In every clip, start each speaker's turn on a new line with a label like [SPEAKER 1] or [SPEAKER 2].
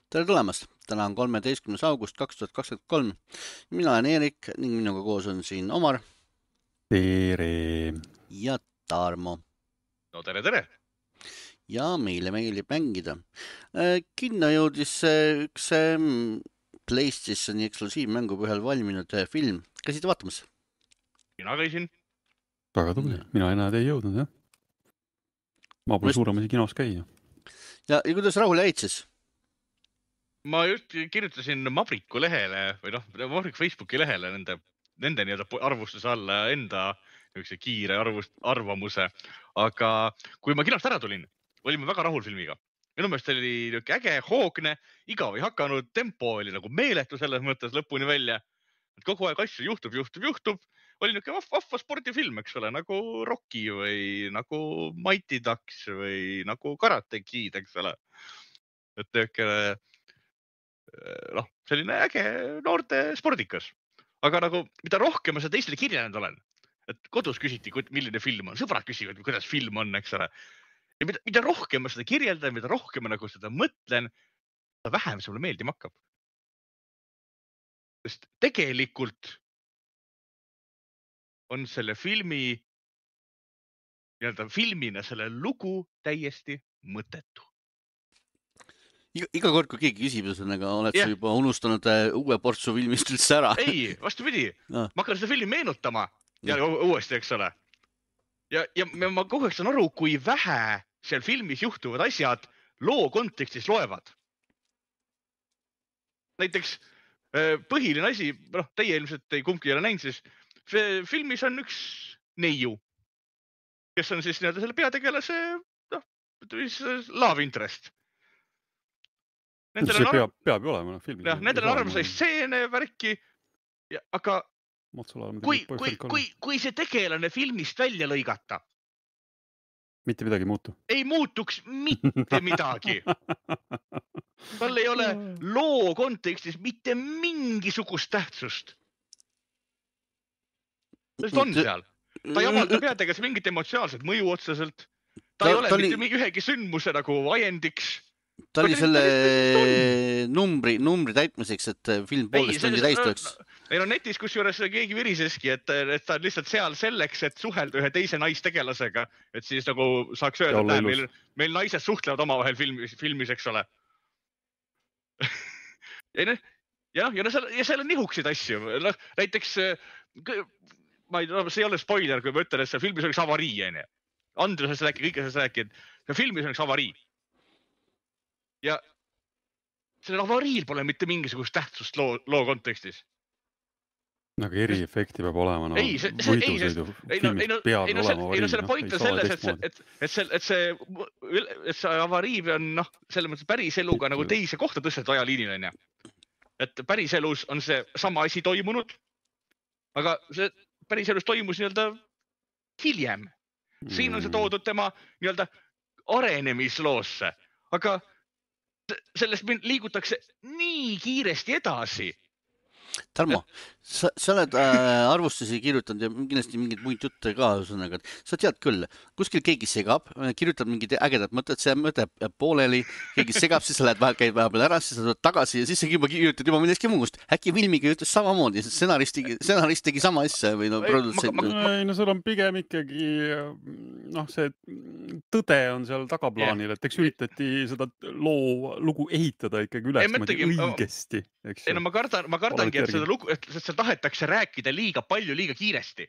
[SPEAKER 1] Tere tulemast! Täna on 13. august 2023. Mina olen Eerik ning minuga koos on siin Omar
[SPEAKER 2] Tere.
[SPEAKER 1] ja Tarmo.
[SPEAKER 3] No tere!
[SPEAKER 1] Ja meile meeldib mängida. Kinno jõudis üks PlayStationi eksklusiivmängu põhjal valminud film. Käisid vaatamas?
[SPEAKER 3] Mina käisin.
[SPEAKER 2] Väga tubli. Mina enää ei jõudnud, jah. Ma pole suuremasi kinos käia.
[SPEAKER 1] Ja kuidas rahule jäid siis?
[SPEAKER 3] Ma just kirjutasin Mabriku lehele või Mabriku Facebooki lehele nende nii-öelda arvustuse alla enda kiire arvamuse. Aga kui ma kinost ära tulin, olime väga rahul filmiga. Minu meelest oli äge, hoogne, igav ei hakanud, tempo oli nagu meeletu selles mõttes lõpuni välja. Et kogu aeg asju juhtub. Oli niisugune vahva spordifilm, eks ole, nagu Rocky või nagu Mighty Ducks või nagu Karate Kid, eks ole. Et niisugune selline äge noorte spordikas. Aga nagu, mida rohkem ma seda teistele kirjanud olen, et kodus küsiti, milline film on, sõbrad küsivad, kuidas film on, eks ole. Ja mida rohkem ma seda kirjeldan, mida rohkem ma nagu seda mõtlen, seda vähem see mulle meeldima hakkab. Sest tegelikult on selle filmi, filmina selle lugu täiesti mõttetu.
[SPEAKER 1] Iga kord, kui keegi küsib, oled sa juba unustanud uue portsu filmist üldse ära?
[SPEAKER 3] Ei, vastupidi. Ma hakkan seda filmi meenutama ja uuesti, eks ole. Ja ma kogu aeg saan aru, kui vähe seal filmis juhtuvad asjad loo kontekstis loevad. Näiteks põhiline asi, teie ilmselt ei kumbki ei ole näinud, siis filmis on üks neiu, kes on siis selle peategelase love interest.
[SPEAKER 2] See peab ju olema filmi.
[SPEAKER 3] Nendel on arvamusai stseene, värki, aga kui see tegelane filmist välja lõigata,
[SPEAKER 2] mitte midagi muutu.
[SPEAKER 3] Ei muutuks mitte midagi. Tal ei ole loo kontekstis mitte mingisugust tähtsust. Sest on seal. Ta ei avalda peategelase mingit emotsionaalset mõju otseselt. Ta ei ole mitte ühegi sündmuse nagu ajendiks.
[SPEAKER 1] Ta oli selle numbri täitmiseks, et film poolest tundi täis tuleks.
[SPEAKER 3] Ei netis kusjuures keegi viriseski, et ta on lihtsalt seal selleks, et suhelda ühe teise naistegelasega. Et siis nagu saaks öelda, et meil naised suhtlevad omavahel filmis, eks ole. Ja seal on nihuksid asju. Näiteks, see ei ole spoiler, kui ma ütlen, et see filmis on üks avarii. Andrus rääkib, kõike sellest rääkib, et filmis on üks avarii. Ja sellel avariil pole mitte mingisugust tähtsust loo kontekstis.
[SPEAKER 2] Aga eriefekti peab olema. Võidusõidu filmis peab olema avarii.
[SPEAKER 3] Selle point on selles, et see avarii on selles mõttes päris eluga nagu teise kohta tõstet ajaliinil. Et päris elus on see sama asi toimunud, aga see päris elus toimus nii-öelda hiljem. Siin on see toodud tema nii-öelda areenemisloosse, aga sellest liigutakse nii kiiresti edasi.
[SPEAKER 1] Tarmo, sa oled arvustusi kirjutanud ja kindlasti mingid muid jutte ka, sa tead küll, kuskil keegi segab, kirjutab mingid ägedad mõtted, see mõte pooleli, keegi segab, siis sa lähed käid vahepeal ära, siis sa tuled tagasi ja siis sa kirjutad juba millestki muust. Äkki filmiga ütles samamoodi, stsenarist tegi sama asja või produtsent.
[SPEAKER 2] Ei, seal on pigem ikkagi see tõde on seal tagaplaanil, et eks üritati seda lugu ehitada ikkagi üles õigesti.
[SPEAKER 3] Ei, ma kardangi, et seda lugu, et seal tahetakse rääkida liiga palju, liiga kiiresti.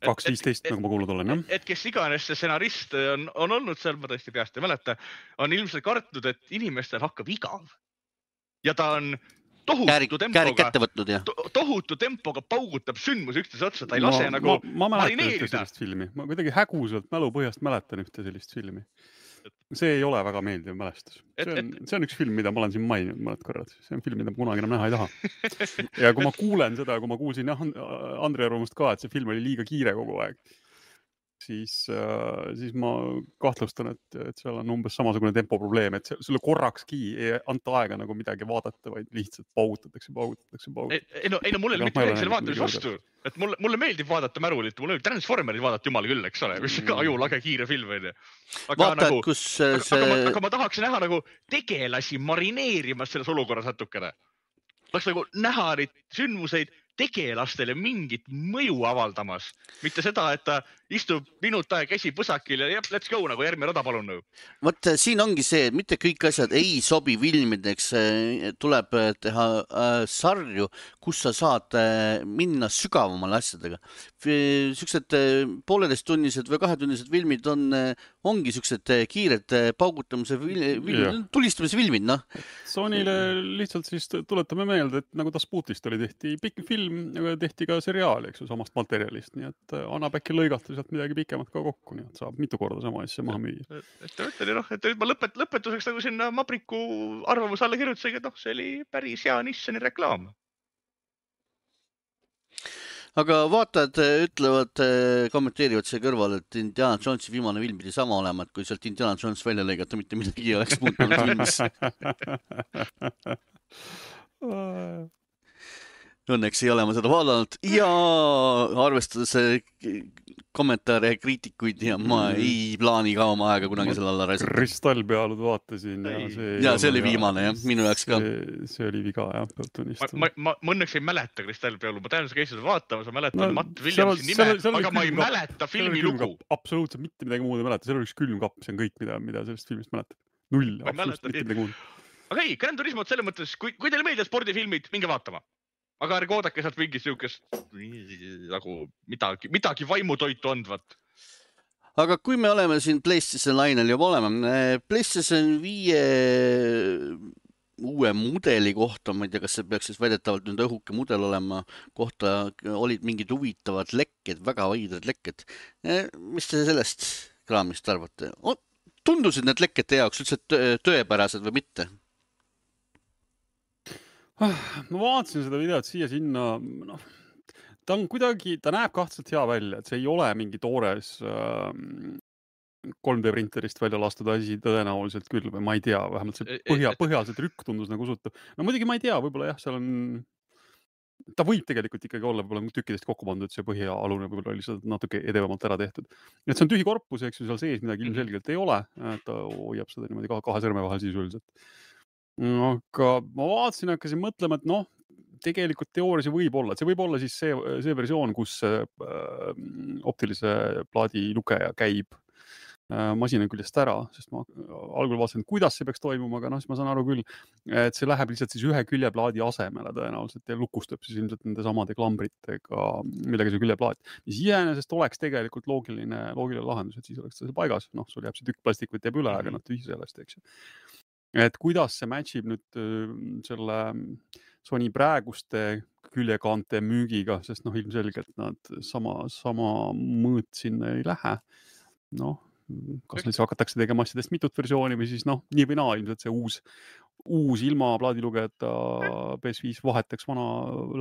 [SPEAKER 2] 2.15, nagu ma kuulnud olen, jah?
[SPEAKER 3] Et kes iganes see stsenarist on olnud seal, ma tõesti peast ei mäleta, on ilmselt kartnud, et inimestel hakkab igav. Ja ta on tohutu tempoga paugutab sündmus üksteise otsa, ta ei lase nagu marineerida.
[SPEAKER 2] Ma kuidagi häguselt mälupõhjast mäletan ühte sellist filmi. See ei ole väga meeldiv mälestus. See on üks film, mida ma olen siin maininud mõned korrad. See on film, mida ma kunagi enam näha ei taha. Ja kui ma kuulen seda, kui ma kuulsin Andri arvamust ka, et see film oli liiga kiire kogu aeg, siis ma kahtlustan, et seal on umbes samasugune tempoprobleem, et sulle korrakski ei anta aega nagu midagi vaadata, vaid lihtsalt paugutatakse.
[SPEAKER 3] Ei no mulle mitte midagi selle vaatamise vastu, et mulle meeldib vaadata märulit, mulle meeldib Transformerit vaadata jumal küll, eks ole, mis ka ajulage kiire film on. Aga ma tahaks näha nagu tegelasi marineerimas selles olukorras natukene. Tahaks nagu näha neid sündmuseid tegelastele mingit mõju avaldamas. Mitte seda, et ta istub minut aega käsi põsakil ja let's go, nagu järgmine rada palun.
[SPEAKER 1] Vot siin ongi see, et mitte kõik asjad ei sobi filmideks. Tuleb teha sarju, kus sa saad minna sügavamale asjadega. Siuksed 1,5-tunnised või 2-tunnised filmid ongi siuksed kiired paugutamise tulistamise filmid, noh.
[SPEAKER 2] Sonyle lihtsalt siis tuletame meelde, et nagu Tasputist tehti pikk film, tehti ka seriaal, eks ju, samast materjalist, nii et annab äkki lõigata sealt midagi pikemat ka kokku, nii et saab mitu korda sama asja maha müüa.
[SPEAKER 3] Et ma lõpetuseks nagu sinna Mabriku arvamuse alla kirjutasegi, et see oli päris hea Nissani reklaam.
[SPEAKER 1] Aga vaatajad ütlevad, kommenteerivad see kõrval, et Indiana Jonesi viimane film pidi sama olema, et kui sealt Indiana Jones välja lõigata, mitte midagi ei oleks muutunud filmis. Õnneks ei ole ma seda vaadanud ja arvestades kommentaare ja kriitikuid ja ma ei plaani ka oma aega kunagi selle alla raisata.
[SPEAKER 2] Kristallpealud vaatasin
[SPEAKER 1] ja see oli viimane jah, minu jaoks ka.
[SPEAKER 2] See oli viga jah, peab tunnistama.
[SPEAKER 3] Ma õnneks ei mäleta Kristallpealu, ma tean, sa käisid seda vaatama, sa mäletan Matt Williamsi nime, aga ma ei mäleta filmi lugu.
[SPEAKER 2] Absoluutselt mitte midagi muud ei mäleta, seal oli üks külmkapp, see on kõik, mida sellest filmist mäletab. Null, absoluutselt mitte midagi muud.
[SPEAKER 3] Aga ei, Gran Turismo selles mõttes, kui teile meeldib spordifilmid, minge vaatama. Aga ärge oodake sealt mingit siukest nagu midagi vaimutoitu andvat.
[SPEAKER 1] Aga kui me oleme siin PlayStation lainel juba oleme, PlayStation 5 uue mudeli kohta, ma ei tea, kas see peaks siis väidetavalt nüüd õhuke mudel olema, kohta olid mingid huvitavad lekked, väga vaidrad lekked. Mis te sellest kraamist arvate? Tundusid need lekked teie jaoks üldse tõepärased või mitte?
[SPEAKER 2] Ma vaatasin seda videot siia-sinna, ta on kuidagi, ta näeb kahtlaselt hea välja, et see ei ole mingi toores 3D printerist välja lastud asi tõenäoliselt küll või ma ei tea, vähemalt see põhjaliselt rükk tundus nagu usutav. No muidugi ma ei tea, võib-olla jah, seal on, ta võib tegelikult ikkagi olla võib-olla tükkidest kokku pandud, see põhjaalune võib-olla oli seda natuke edevamalt ära tehtud. Et see on tühi korpus, eks ju, seal sees midagi ilmselgelt ei ole, ta hoiab seda niimoodi kahe sõrme vahel sisuliselt. Aga ma vaatasin, hakkasin mõtlema, et tegelikult teoorias võib olla, et see võib olla siis see versioon, kus optilise plaadi lugeja käib masina küljest ära, sest ma algul vaatasin, kuidas see peaks toimuma, aga siis ma saan aru küll, et see läheb lihtsalt siis ühe küljeplaadi asemele tõenäoliselt ja lukustab siis ilmselt nende samade klambritega, millega see küljeplaat, mis iseenesest oleks tegelikult loogiline lahendus, et siis oleks see paigas, sul jääb see tükk plastikut jääb üle, aga tühi sellest, eks ju. Et kuidas see matchib nüüd selle Sony praeguste küljekaante müügiga, sest ilmselgelt nad sama mõõt sinna ei lähe. Kas nüüd hakatakse tegema asjadest mitut versiooni või siis nii või naa ilmselt see uus ilma plaadilugejata PS5 vahetaks vana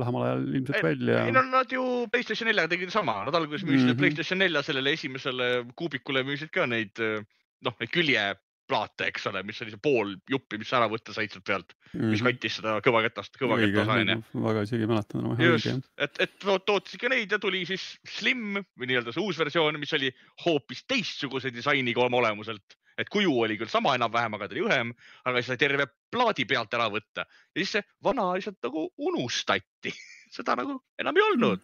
[SPEAKER 2] lähemal ajal ilmselt välja.
[SPEAKER 3] Ei, nad ju PlayStation 4 tegid sama. Nad alguses müüsid PlayStation 4 sellele esimesele kuubikule müüsid ka neid küljeplaate, eks ole, mis oli see pool juppi, mis ära võtta said sealt pealt, mis kattis seda kõvaketast aine.
[SPEAKER 2] Väga isegi mäletan.
[SPEAKER 3] Just, et tootis ikka neid ja tuli siis Slim või nii-öelda see uus versioon, mis oli hoopis teistsuguse disainiga oma olemuselt. Et kuju oli küll sama enam-vähem, aga ta oli õhem, aga siis sai terve plaadi pealt ära võtta. Ja siis see vana lihtsalt nagu unustati. Seda nagu enam ei olnud.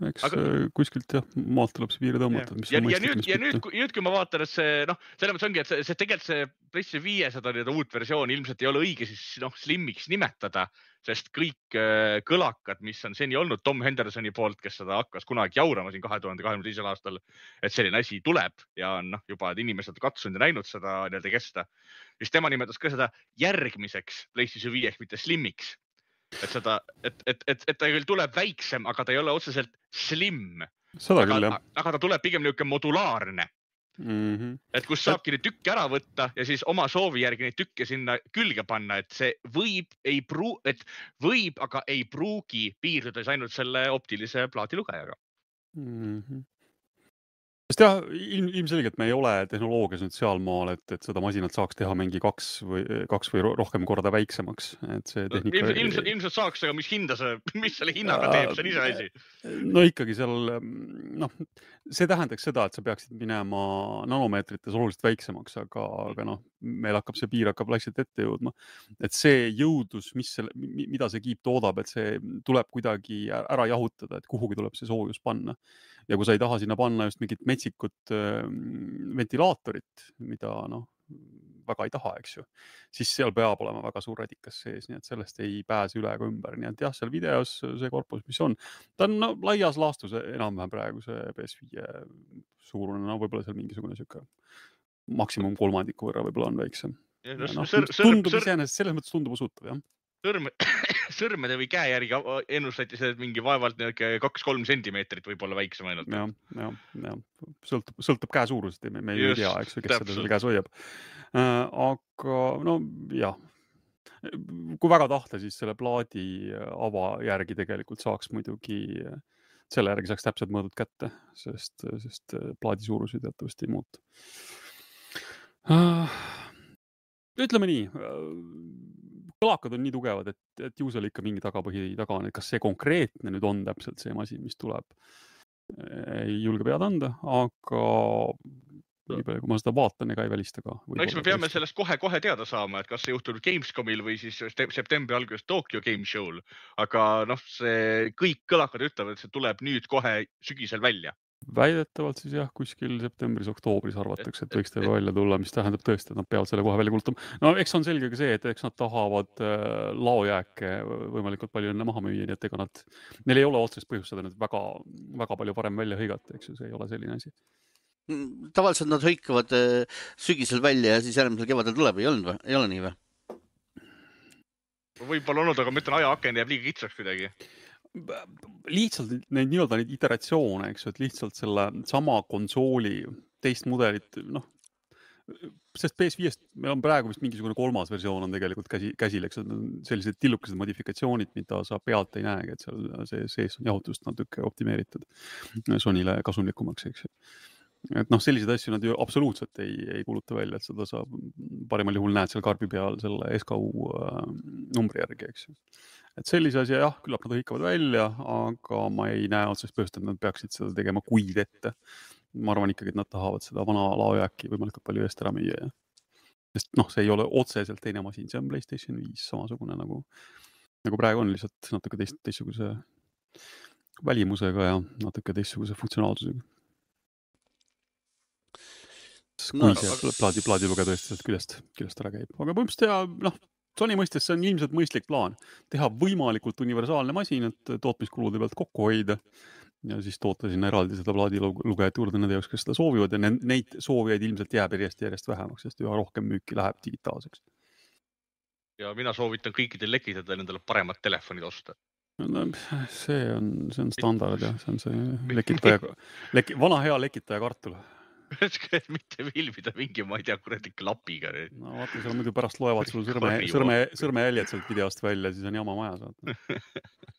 [SPEAKER 2] Eks kuskilt jah, maalt tuleb see piiri tõmmata.
[SPEAKER 3] Ja nüüd, kui ma vaatan, et see, selles mõttes ongi, et see tegelikult see PlayStation 5 seda uut versiooni ilmselt ei ole õige siis Slimmiks nimetada, sest kõik kõlakad, mis on seni olnud Tom Hendersoni poolt, kes seda hakkas kunagi jaurama siin 2022. aastal, et selline asi tuleb ja on juba inimesed katsunud ja näinud seda kesta, siis tema nimetas ka seda järgmiseks PlayStation 5-ks, mitte Slimmiks. Et ta küll tuleb väiksem, aga ta ei ole otseselt slim. Aga ta tuleb pigem niisugune modulaarne. Et kus saabki neid tükke ära võtta ja siis oma soovi järgi neid tükke sinna külge panna, et see võib, aga ei pruugi piirduda ainult selle optilise plaadilugejaga.
[SPEAKER 2] Sest jah, ilmselgelt me ei ole tehnoloogias nüüd sealmaal, et seda masinat saaks teha mingi kaks või rohkem korda väiksemaks. Et see tehnika...
[SPEAKER 3] Ilmselt saaks, aga mis selle hinnaga teeb, see on ise asi.
[SPEAKER 2] No ikkagi seal, see tähendaks seda, et sa peaksid minema nanomeetrites oluliselt väiksemaks, aga meil hakkab see piir vaikselt ette jõudma. Et see jõudlus, mida see kiip toodab, et see tuleb kuidagi ära jahutada, et kuhugi tuleb see soojus panna. Ja kui sa ei taha sinna panna just mingit metsikut ventilaatorit, mida väga ei taha, eks ju, siis seal peab olema väga suur radikas sees, nii et sellest ei pääse üle ega ümber. Nii et jah, seal videos see korpus, mis on, ta on laias laastus enam-vähem praegu see PS5 suurune, võib-olla seal mingisugune siuke maksimum kolmandiku võrra võib-olla on väiksem. Tundub iseenesest, selles mõttes tundub usutav, jah.
[SPEAKER 3] Sõrmede või käe järgi ennustati see, et mingi vaevalt 2-3 sentimeetrit võib olla väiksem ainult.
[SPEAKER 2] Ja. Sõltub käe suurusest, me ei tea, eks, kes seda selle käes hoiab. Aga jah, kui väga tahta, siis selle plaadi ava järgi tegelikult saaks muidugi, selle järgi saaks täpselt mõõdud kätte, sest plaadi suurus teatavasti ei muutu. Ütleme nii, kõlakad on nii tugevad, et ju seal ikka mingi tagapõhi taga on, et kas see konkreetne nüüd on täpselt see masin, mis tuleb. Ei julge pead anda, aga nii palju, kui ma seda vaatan, ega ei välista ka.
[SPEAKER 3] Eks me peame sellest kohe teada saama, et kas see juhtub Gamescomil või siis septembri alguses Tokyo Game Show'l. Aga see kõik kõlakad ütlevad, et see tuleb nüüd kohe sügisel välja.
[SPEAKER 2] Väidetavalt siis jah, kuskil septembris-oktoobris arvatakse, et võiks teile välja tulla, mis tähendab tõesti, et nad peavad selle kohe välja kulutama. No eks on selge ka see, et eks nad tahavad laojääke võimalikult palju enne maha müüa, nii et ega neil ei ole otsest põhjust seda nüüd väga palju varem välja hõigata, eks ju, see ei ole selline asi.
[SPEAKER 1] Tavaliselt nad hõikavad sügisel välja ja siis järgmisel kevadel tuleb, ei ole nii või?
[SPEAKER 3] Võib-olla olnud, aga ma ütlen, ajaaken jääb liiga kitsaks kuidagi.
[SPEAKER 2] Lihtsalt neid iteratsioone, eks ju, et lihtsalt selle sama konsooli teist mudelit, sest PS5-st meil on praegu vist mingisugune 3. versioon on tegelikult käsil, eks sellised tillukesed modifikatsioonid, mida sa pealt ei näegi, et seal see sees on jahutust natuke optimeeritud Sonyle kasumlikumaks, eks ju. Et sellised asju nad ju absoluutselt ei kuluta välja, et seda saab parimal juhul näed seal karbi peal selle SKU numbri järgi, eks ju. Et sellise asja jah, küllap nad hõikavad välja, aga ma ei näe otsest põhjust, et nad peaksid seda tegema kuid ette. Ma arvan ikkagi, et nad tahavad seda vana laojääki võimalikult palju eest ära müüa. Sest see ei ole otseselt teine masin, see on PlayStation 5 samasugune nagu praegu on, lihtsalt natuke teistsuguse välimusega ja natuke teistsuguse funktsionaalsusega. Kui see plaadiluge tõesti küljest ära käib. Aga põhimõtteliselt Sony mõistes see on ilmselt mõistlik plaan. Teha võimalikult universaalne masin, et tootmiskulude pealt kokku hoida ja siis toota sinna eraldi seda plaadilugejat juurde nende jaoks, kes seda soovivad ja neid soovijaid ilmselt jääb järjest vähemaks, sest üha rohkem müüki läheb digitaalseks.
[SPEAKER 3] Ja mina soovitan kõikidel lekitada nendele paremat telefonid osta.
[SPEAKER 2] See on standard ja see on see vana hea lekitaja kartul.
[SPEAKER 3] Mitte filmida mingi, ma ei tea, kuradi klapiga.
[SPEAKER 2] No vaata, seal muidu pärast loevad sul sõrmejäljed sealt videost välja, siis on jama maja saata.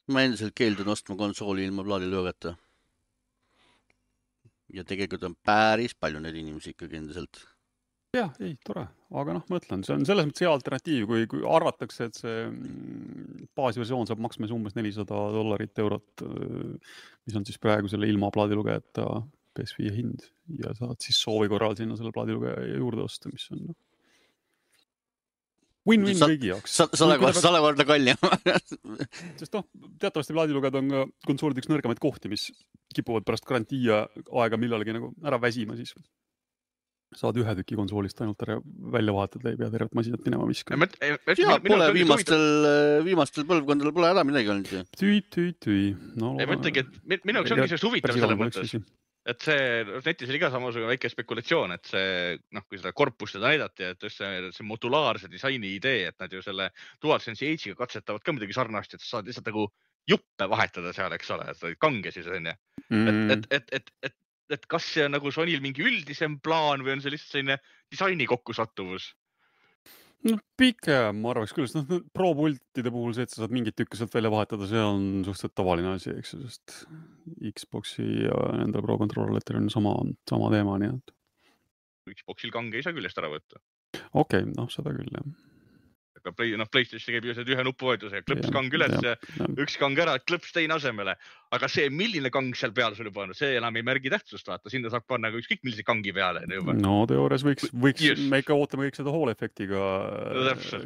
[SPEAKER 1] Ma endiselt keeldun ostma konsooli ilma plaadilugeta. Ja tegelikult on päris palju neid inimesi ikkagi endiselt.
[SPEAKER 2] Jah, ei, tore. Aga ma ütlen, see on selles mõttes hea alternatiiv, kui arvatakse, et see baasversioon saab maksma umbes $400 eurot, mis on siis praegu selle ilma plaadilugejata PS5 hind ja saad siis soovi korral sinna selle plaadilugeja juurde osta, mis on win-win kõigi jaoks.
[SPEAKER 1] 100 korda kallim.
[SPEAKER 2] Sest teatavasti plaadilugejad on ka konsoolid üks nõrgemaid kohti, mis kipuvad pärast garantii aega millalgi ära väsima, siis saad ühe tüki konsoolist ainult välja vahetada, ei pea tervet masinat minema viskama.
[SPEAKER 1] Pole viimastel põlvkondadel pole ära midagi olnud.
[SPEAKER 2] Tüü.
[SPEAKER 3] Ma ütlengi, et minu jaoks ongi see huvitav selle mõttes. Et see netis oli ka samasugune väike spekulatsioon, et see, kui seda korpust seda näidati, et see modulaarse disaini idee, et nad ju selle DualSense Edge'iga katsetavad ka midagi sarnast, et sa saad lihtsalt nagu juppe vahetada seal, eks ole, et kange siis on ja. Et kas see on nagu Sonyl mingi üldisem plaan või on see lihtsalt selline disaini kokkusattuvus?
[SPEAKER 2] No pigem ma arvaks küll, sest Pro-pultide puhul see, et sa saad mingit tükki sealt välja vahetada, see on suhteliselt tavaline asi, eks ju, sest Xboxi ja nende Pro-kontrollitel on sama teema, nii et.
[SPEAKER 3] Xboxil kange ei saa küljest ära võtta.
[SPEAKER 2] Okei, seda küll, jah.
[SPEAKER 3] Aga PlayStation käib ju see ühe nupuvajutuse ja klõps kang üles ja üks kang ära, klõps teine asemele. Aga see, milline kang seal peal sul juba on, see enam ei märgi tähtsust, vaata. Sinna saab panna ükskõik millise kangi peale.
[SPEAKER 2] No teoorias võiks me ikka ootame kõik seda Hall-efektiga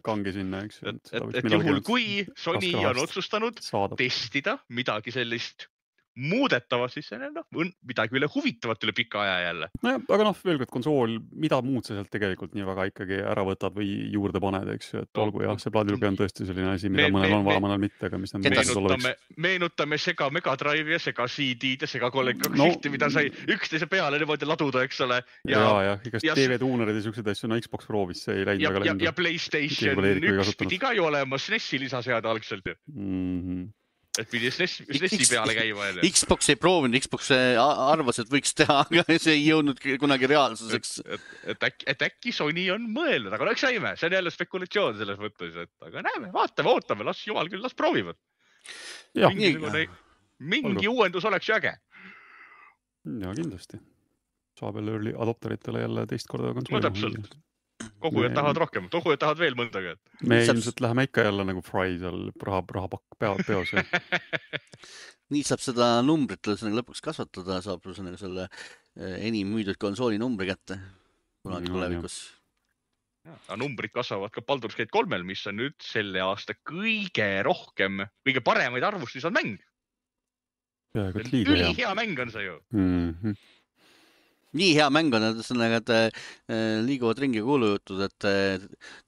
[SPEAKER 2] kangi sinna, eks.
[SPEAKER 3] Et juhul, kui Sony on otsustanud testida midagi sellist muudetava, siis see on midagi üle huvitavat üle pika aja jälle.
[SPEAKER 2] Nojah, aga veel kord konsool, mida muud sa sealt tegelikult nii väga ikkagi ära võtad või juurde paned, eks ju, et olgu jah, see plaadilugeja on tõesti selline asi, mida mõnel on vaja, mõnel mitte, aga mis
[SPEAKER 3] meenutame sega Mega Drive ja sega CD-d ja sega kollektiivsihti, mida sai üksteise peale niimoodi laduda, eks ole.
[SPEAKER 2] Ja igast TV-tuunerid ja sellised asju, Xbox proovis, see ei läinud väga lendu.
[SPEAKER 3] Ja PlayStation 1 pidi ka ju olema SNES-i lisaseada algselt ju. Et pidi SNES-i peale käima.
[SPEAKER 1] Xbox ei proovinud, Xbox arvas, et võiks teha, aga see ei jõudnud kunagi reaalsuseks.
[SPEAKER 3] Et äkki Sony on mõelnud, aga eks saime, see on jälle spekulatsioon selles mõttes, aga näeme, vaatame, ootame, las jumal küll, las proovivad. Mingi uuendus oleks ju äge.
[SPEAKER 2] Ja kindlasti. Saab jälle early adopteritele jälle teist korda konsooli.
[SPEAKER 3] No täpselt. Kogujad tahavad rohkem, kogujad tahavad veel mõndaga.
[SPEAKER 2] Me ilmselt läheme ikka jälle nagu Fry seal rahapakk peos.
[SPEAKER 1] Nii saab seda numbrit lõpuks kasvatada, saab selle enim müüdud konsooli numbri kätte kunagi tulevikus.
[SPEAKER 3] Numbrid kasvavad ka Baldur's Gate 3-l, mis on nüüd selle aasta kõige paremaid arvustusi on mäng. Ülihea mäng on see ju.
[SPEAKER 1] Nii hea mäng on, et liiguvad ringi kuulujutud, et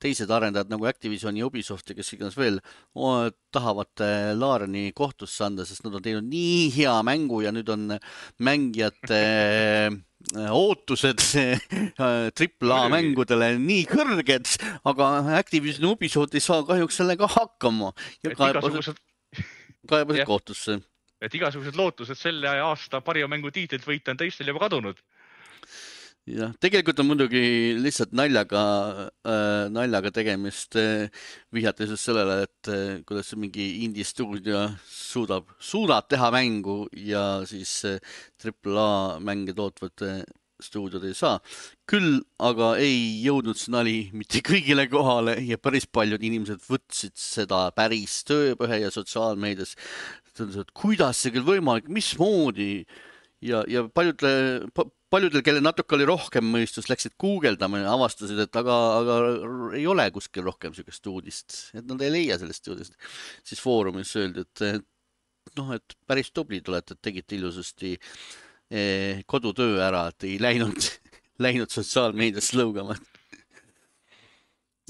[SPEAKER 1] teised arendajad nagu Activision ja Ubisoft ja kes iganes veel tahavad Lariani kohtusse anda, sest nad on teinud nii hea mängu ja nüüd on mängijate ootused AAA mängudele nii kõrged, aga Activision ja Ubisoft ei saa kahjuks sellega hakkama ja kaebasid kohtusse.
[SPEAKER 3] Et igasugused lootused selle aasta parima mängu tiitlit võita on teistel juba kadunud.
[SPEAKER 1] Ja, tegelikult on muidugi lihtsalt naljaga tegemist vihjates sellele, et kuidas mingi indie stuudio suudab teha mängu ja siis AAA mänge tootvad stuudiod ei saa. Küll aga ei jõudnud see nali mitte kõigile kohale ja päris paljud inimesed võtsid seda päris tööpõhe ja sotsiaalmeedias. Kuidas see küll võimalik, mismoodi ja paljudel, kelle natuke oli rohkem mõistus, läksid guugeldama ja avastasid, et aga ei ole kuskil rohkem sellist uudist, et nad ei leia sellest uudist. Siis foorumis öeldi, et päris tublid olete, et tegite ilusasti kodutöö ära, et ei läinud sotsiaalmeedias lõugama.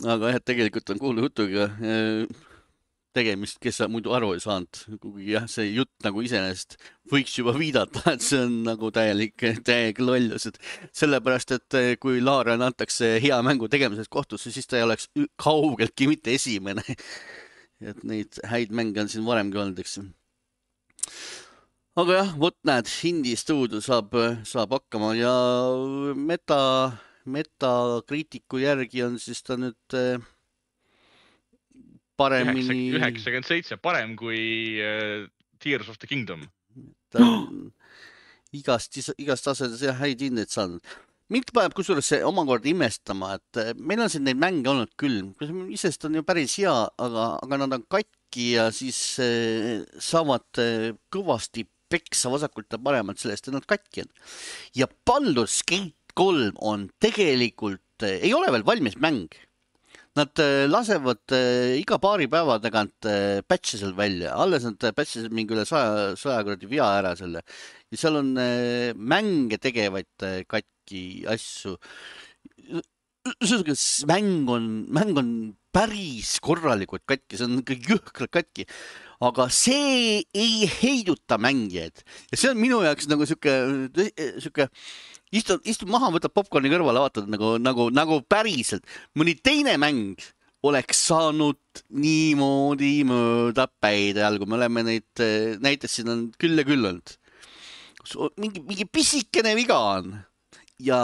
[SPEAKER 1] Aga tegelikult on kuulu jutuga tegemist, kes muidu aru ei saanud. Kuigi jah, see jutt nagu iseenesest võiks juba viidata, et see on nagu täielik lollus. Sellepärast, et kui Larian antakse hea mängu tegemisest kohtusse, siis ta ei oleks kaugeltki mitte esimene. Et neid häid mänge on siin varemgi olnud, eks. Aga jah, näed, indie stuudio saab hakkama ja Metacriticu järgi on siis ta nüüd paremini...
[SPEAKER 3] 97, parem kui Tears of the Kingdom.
[SPEAKER 1] Ta on igast asedes häid hindeid saanud. Mind paneb kusjuures see omakorda imestama, et meil on siin neid mänge olnud küll. Isest on ju päris hea, aga nad on katki ja siis saavad kõvasti peksa vasakult ja paremalt sellest, et nad katki on. Ja Baldur's Gate 3 on tegelikult, ei ole veel valmis mäng. Nad lasevad iga paari päeva tagant patch'e seal välja. Alles nad patch'isid mingi üle 100 kordi via ära selle. Ja seal on mänge tegevaid katki asju. Mäng on päris korralikult katki. See on kõik jõhkralt katki. Aga see ei heiduta mängijaid. Ja see on minu jaoks nagu siuke istud maha, võtab popcorni kõrvale, vaatad nagu päriselt. Mõni teine mäng oleks saanud niimoodi mööda päide all, kui me oleme neid näiteks siin on küll ja küll olnud. Mingi pisikene viga on ja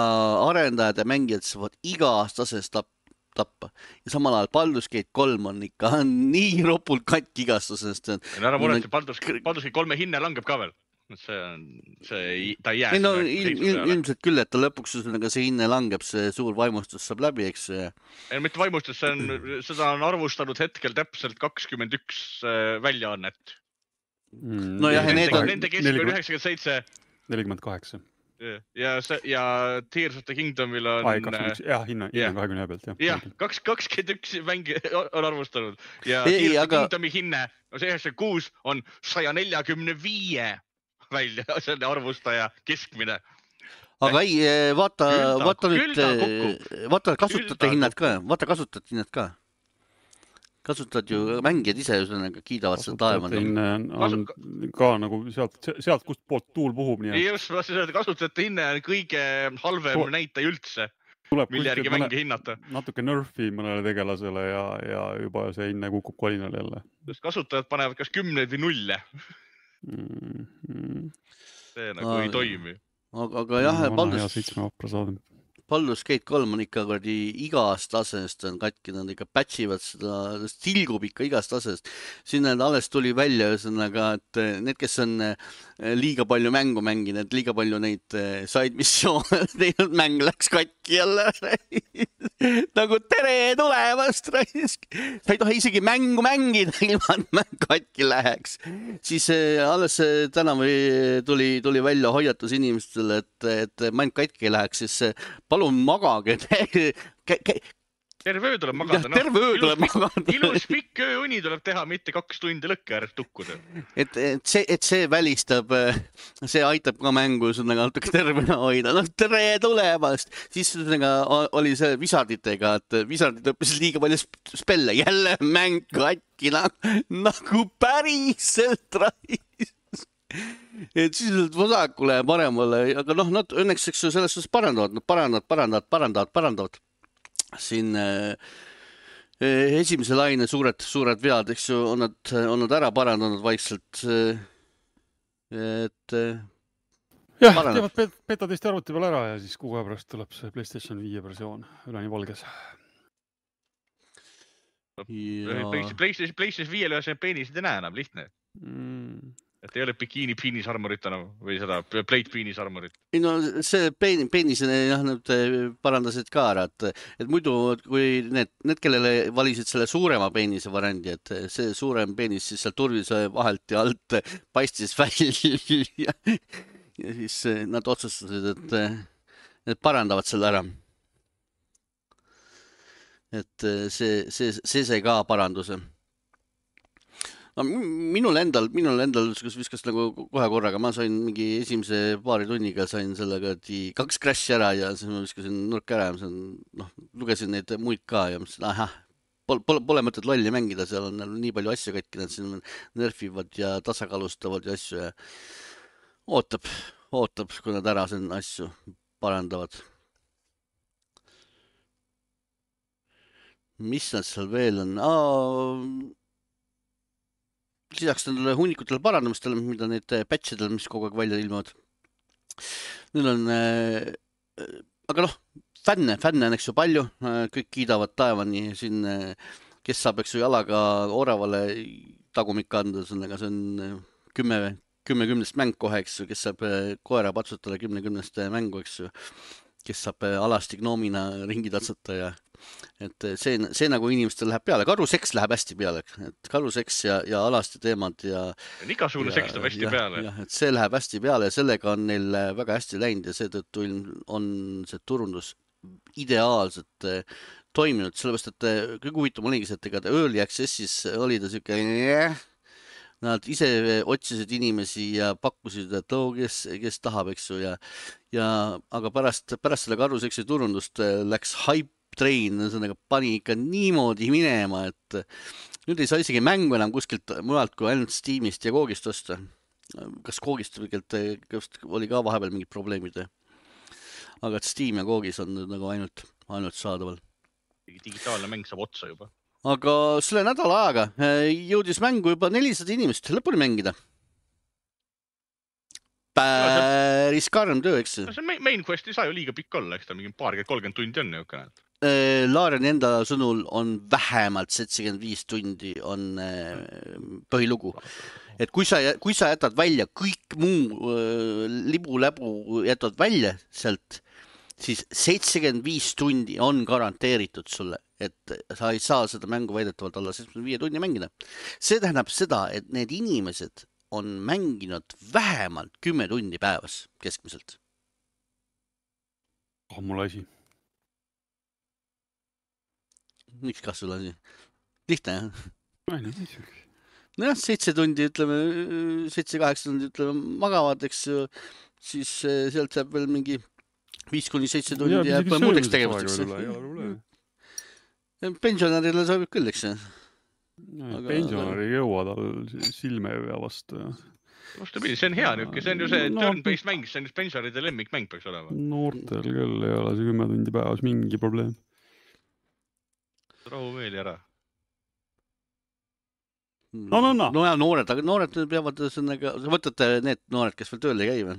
[SPEAKER 1] arendajad ja mängijad saavad igast asest tappa. Ja samal ajal Baldur's Gate 3 on ikka nii ropult katki igastusest.
[SPEAKER 3] Ära muretse, Baldur's Gate 3 hinne langeb ka veel. Ta ei jää
[SPEAKER 1] no, ilmselt küll, et ta lõpuks see hinne langeb, see suur vaimustus saab läbi, eks.
[SPEAKER 3] Mitte vaimustus, seda on arvustanud hetkel täpselt 21 väljaannet.
[SPEAKER 1] No jah,
[SPEAKER 3] nende keskmine 97.
[SPEAKER 2] 48.
[SPEAKER 3] Ja Tears of the Kingdomil on...
[SPEAKER 2] hinna 20 pealt, jah.
[SPEAKER 3] Jah, 21 mängi on arvustanud. Ja Tears of the Kingdomi hinne, 96 on 145 välja, selle arvustaja keskmine.
[SPEAKER 1] Aga ei, vaata nüüd, vaata kasutajate hinnad ka, kasutad ju mängijad ise kiidavad seda taevana.
[SPEAKER 2] On ka nagu sealt kust poolt tuul puhub.
[SPEAKER 3] Just, kasutajate hinne on kõige halvem näitaja üldse, mille järgi mängi hinnata.
[SPEAKER 2] Natuke nerfi mõnele tegelasele ja juba see hinne kukub kolinal jälle.
[SPEAKER 3] Kasutajad panevad kas 10 või 0. See nagu ei toimi.
[SPEAKER 1] Aga jah,
[SPEAKER 2] Baldur's
[SPEAKER 1] Gate 3 on ikka igast asest on katki, nad ikka patchivad seda, tilgub ikka igast asest. Sinna alles tuli välja ühesõnaga, et need, kes on liiga palju mängu mänginud, liiga palju neid side missioone teinud, mäng läks katki jälle. Nagu tere tulemast, raisk. Sa ei tohi isegi mängu mängida, ilma et mäng katki läheks. Siis alles täna tuli välja hoiatus inimestele, et mäng katki läheks, siis palun magage.
[SPEAKER 3] Terve öö tuleb magada.
[SPEAKER 1] Terve öö tuleb magada.
[SPEAKER 3] Ilus pikk ööuni tuleb teha, mitte 2 tundi lõkke ääres tukkuda.
[SPEAKER 1] Et see välistab, see aitab ka mängu natuke tervena hoida. No tere tulemast! Siis oli see Wizarditega, et Wizardid õppisid liiga palju spelle. Jälle mäng katki nagu päriselt rais. Et siis vasakule ja paremale, aga nad õnneks selles suhtes parandavad. Siin esimese laine suured vead, eks ju, on nad ära parandanud vaikselt. Et
[SPEAKER 2] jah, teevad beta-testi arvuti peal ära ja siis 6 aja pärast tuleb see PlayStation 5 versioon üleni valges.
[SPEAKER 3] PlayStation 5 see peenisid ei näe enam, lihtne. Et ei ole bikini penis armorit enam või seda plate penis armorit.
[SPEAKER 1] No see penis nad parandasid ka ära, et muidu kui need kellele valisid selle suurema peenise variandi, et see suurem peenis siis seal turvise vahelt ja alt paistis välja ja siis nad otsustasid, et parandavad selle ära. Et see ka paranduse. Minul endal viskas nagu kohe korraga, ma sain mingi esimese paari tunniga sain sellega 2 crash'i ära ja siis ma viskasin nurk ära ja lugesin neid muid ka ja mõtlesin, pole mõtet lolli mängida, seal on nii palju asju katki, nad siin nerfivad ja tasakaalustavad ja asju ja ootab, kui nad ära siin asju parandavad. Mis nad seal veel on? Lisaks nendele hunnikutele parandamistele, mida need patchidel, mis kogu aeg välja ilmuvad. Neil on, aga fänne on eks ju palju, kõik kiidavad taevani siin, kes saab eks ju jalaga oravale tagumikka anda, see on 10 mäng kohe, eks ju, kes saab koera patsutada 10 mängu, eks ju, kes saab alasti gnoomina ringi tatsata ja et see nagu inimestel läheb peale. Karuseks läheb hästi peale, et karuseks ja alasti teemad ja
[SPEAKER 3] igasugune seks läheb hästi peale.
[SPEAKER 1] Ja, et see läheb hästi peale ja sellega on neil väga hästi läinud ja seetõttu on see turundus ideaalselt toiminud, sellepärast, et kõige huvitavam oligi see, et ega Early Accessis oli ta siuke nad ise otsisid inimesi ja pakkusid, et kes tahab, eks ju, aga pärast selle karuseksi turundust läks hype train, pani ikka niimoodi minema, et nüüd ei saa isegi mängu enam kuskilt mujalt kui ainult Steamist ja Koogist osta. Kas Koogist oli ka vahepeal mingid probleemid? Aga et Steam ja Koogis on nagu ainult saadaval.
[SPEAKER 3] Digitaalne mäng saab otsa juba.
[SPEAKER 1] Aga selle nädala ajaga jõudis mängu juba 400 inimest lõpuni mängida. Päris karm töö, eks?
[SPEAKER 3] See main quest ei saa ju liiga pikk olla, eks ta mingi 30 tundi on ju ka näed.
[SPEAKER 1] Laareni enda sõnul on vähemalt 75 tundi on põhilugu. Et kui sa jätad välja kõik muu libu-läbu jätad välja sealt, siis 75 tundi on garanteeritud sulle, et sa ei saa seda mängu väidetavalt alla 75 tunni mängida. See tähendab seda, et need inimesed on mänginud vähemalt 10 tundi päevas keskmiselt.
[SPEAKER 2] Mul asi.
[SPEAKER 1] Miks kas sul asi? Lihtne, jah? Nojah, 7 tundi, ütleme, 7-8 tundi, ütleme, magavad, eks siis sealt jääb veel mingi 5-7 tundi jääb muudeks tegevusteks. Pensionärile sobib küll, eks?
[SPEAKER 2] Pensionäri ei jõua tal silme ja vastu.
[SPEAKER 3] Vastupidi, see on hea niuke, see on ju see turn-based mäng, see on just pensionäride lemmikmäng peaks olema.
[SPEAKER 2] Noortel küll ei ole see 10 tundi päevas mingi probleem.
[SPEAKER 3] Rahu meeli ära.
[SPEAKER 2] No.
[SPEAKER 1] No ja noored peavad sõnaga, võtate need noored, kes veel tööl ei käi või?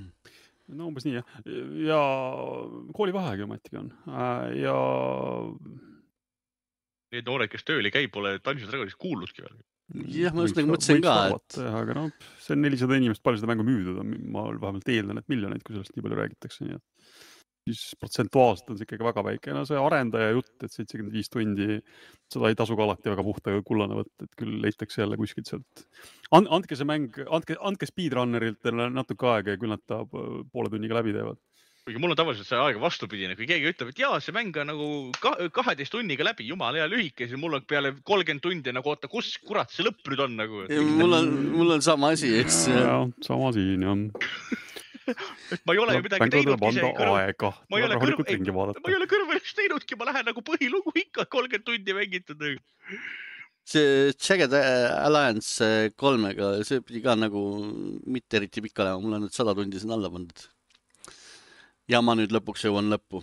[SPEAKER 2] No umbes nii, jah. Ja koolivaheagi ometigi on. Ja
[SPEAKER 3] need noored, kes tööl ei käi, pole Dungeons & Dragonis kuulnudki veel.
[SPEAKER 1] Jah, ma just nagu mõtlesin ka,
[SPEAKER 2] et... Aga no, see on 400 inimest, palju seda mängu müüdud on. Ma vähemalt eeldan, et miljoneid, kui sellest nii palju räägitakse. Nii et siis protsentuaalselt on see ikkagi väga väike. No see arendaja jutt, et 75 tundi, seda ei tasu ka alati väga puhta kullane võtta, et küll leitakse jälle kuskilt sealt. Andke see mäng, andke speedrunneritele natuke aega ja küll nad ta poole tunniga läbi teevad.
[SPEAKER 3] Kuigi mul on tavaliselt see aega vastupidine, kui keegi ütleb, et jaa, see mäng on nagu 12 tunniga läbi, jumala hea lühike, siis mul on peale 30 tundi nagu, oota, kus kurat see lõpp nüüd on nagu?
[SPEAKER 1] Mul on sama asi, eks?
[SPEAKER 2] Jah, sama siin, jah.
[SPEAKER 3] Ma ei ole ju midagi teinud ise.
[SPEAKER 2] Ma ei
[SPEAKER 3] ole kõrvalist teinudki, ma lähen nagu põhilugu ikka 30 tundi mängitud.
[SPEAKER 1] See Jagged Alliance 3-ga, see pidi ka nagu mitte eriti pikk olema, mul on nüüd 100 tundi siin alla pandud. Ja ma nüüd lõpuks jõuan lõppu.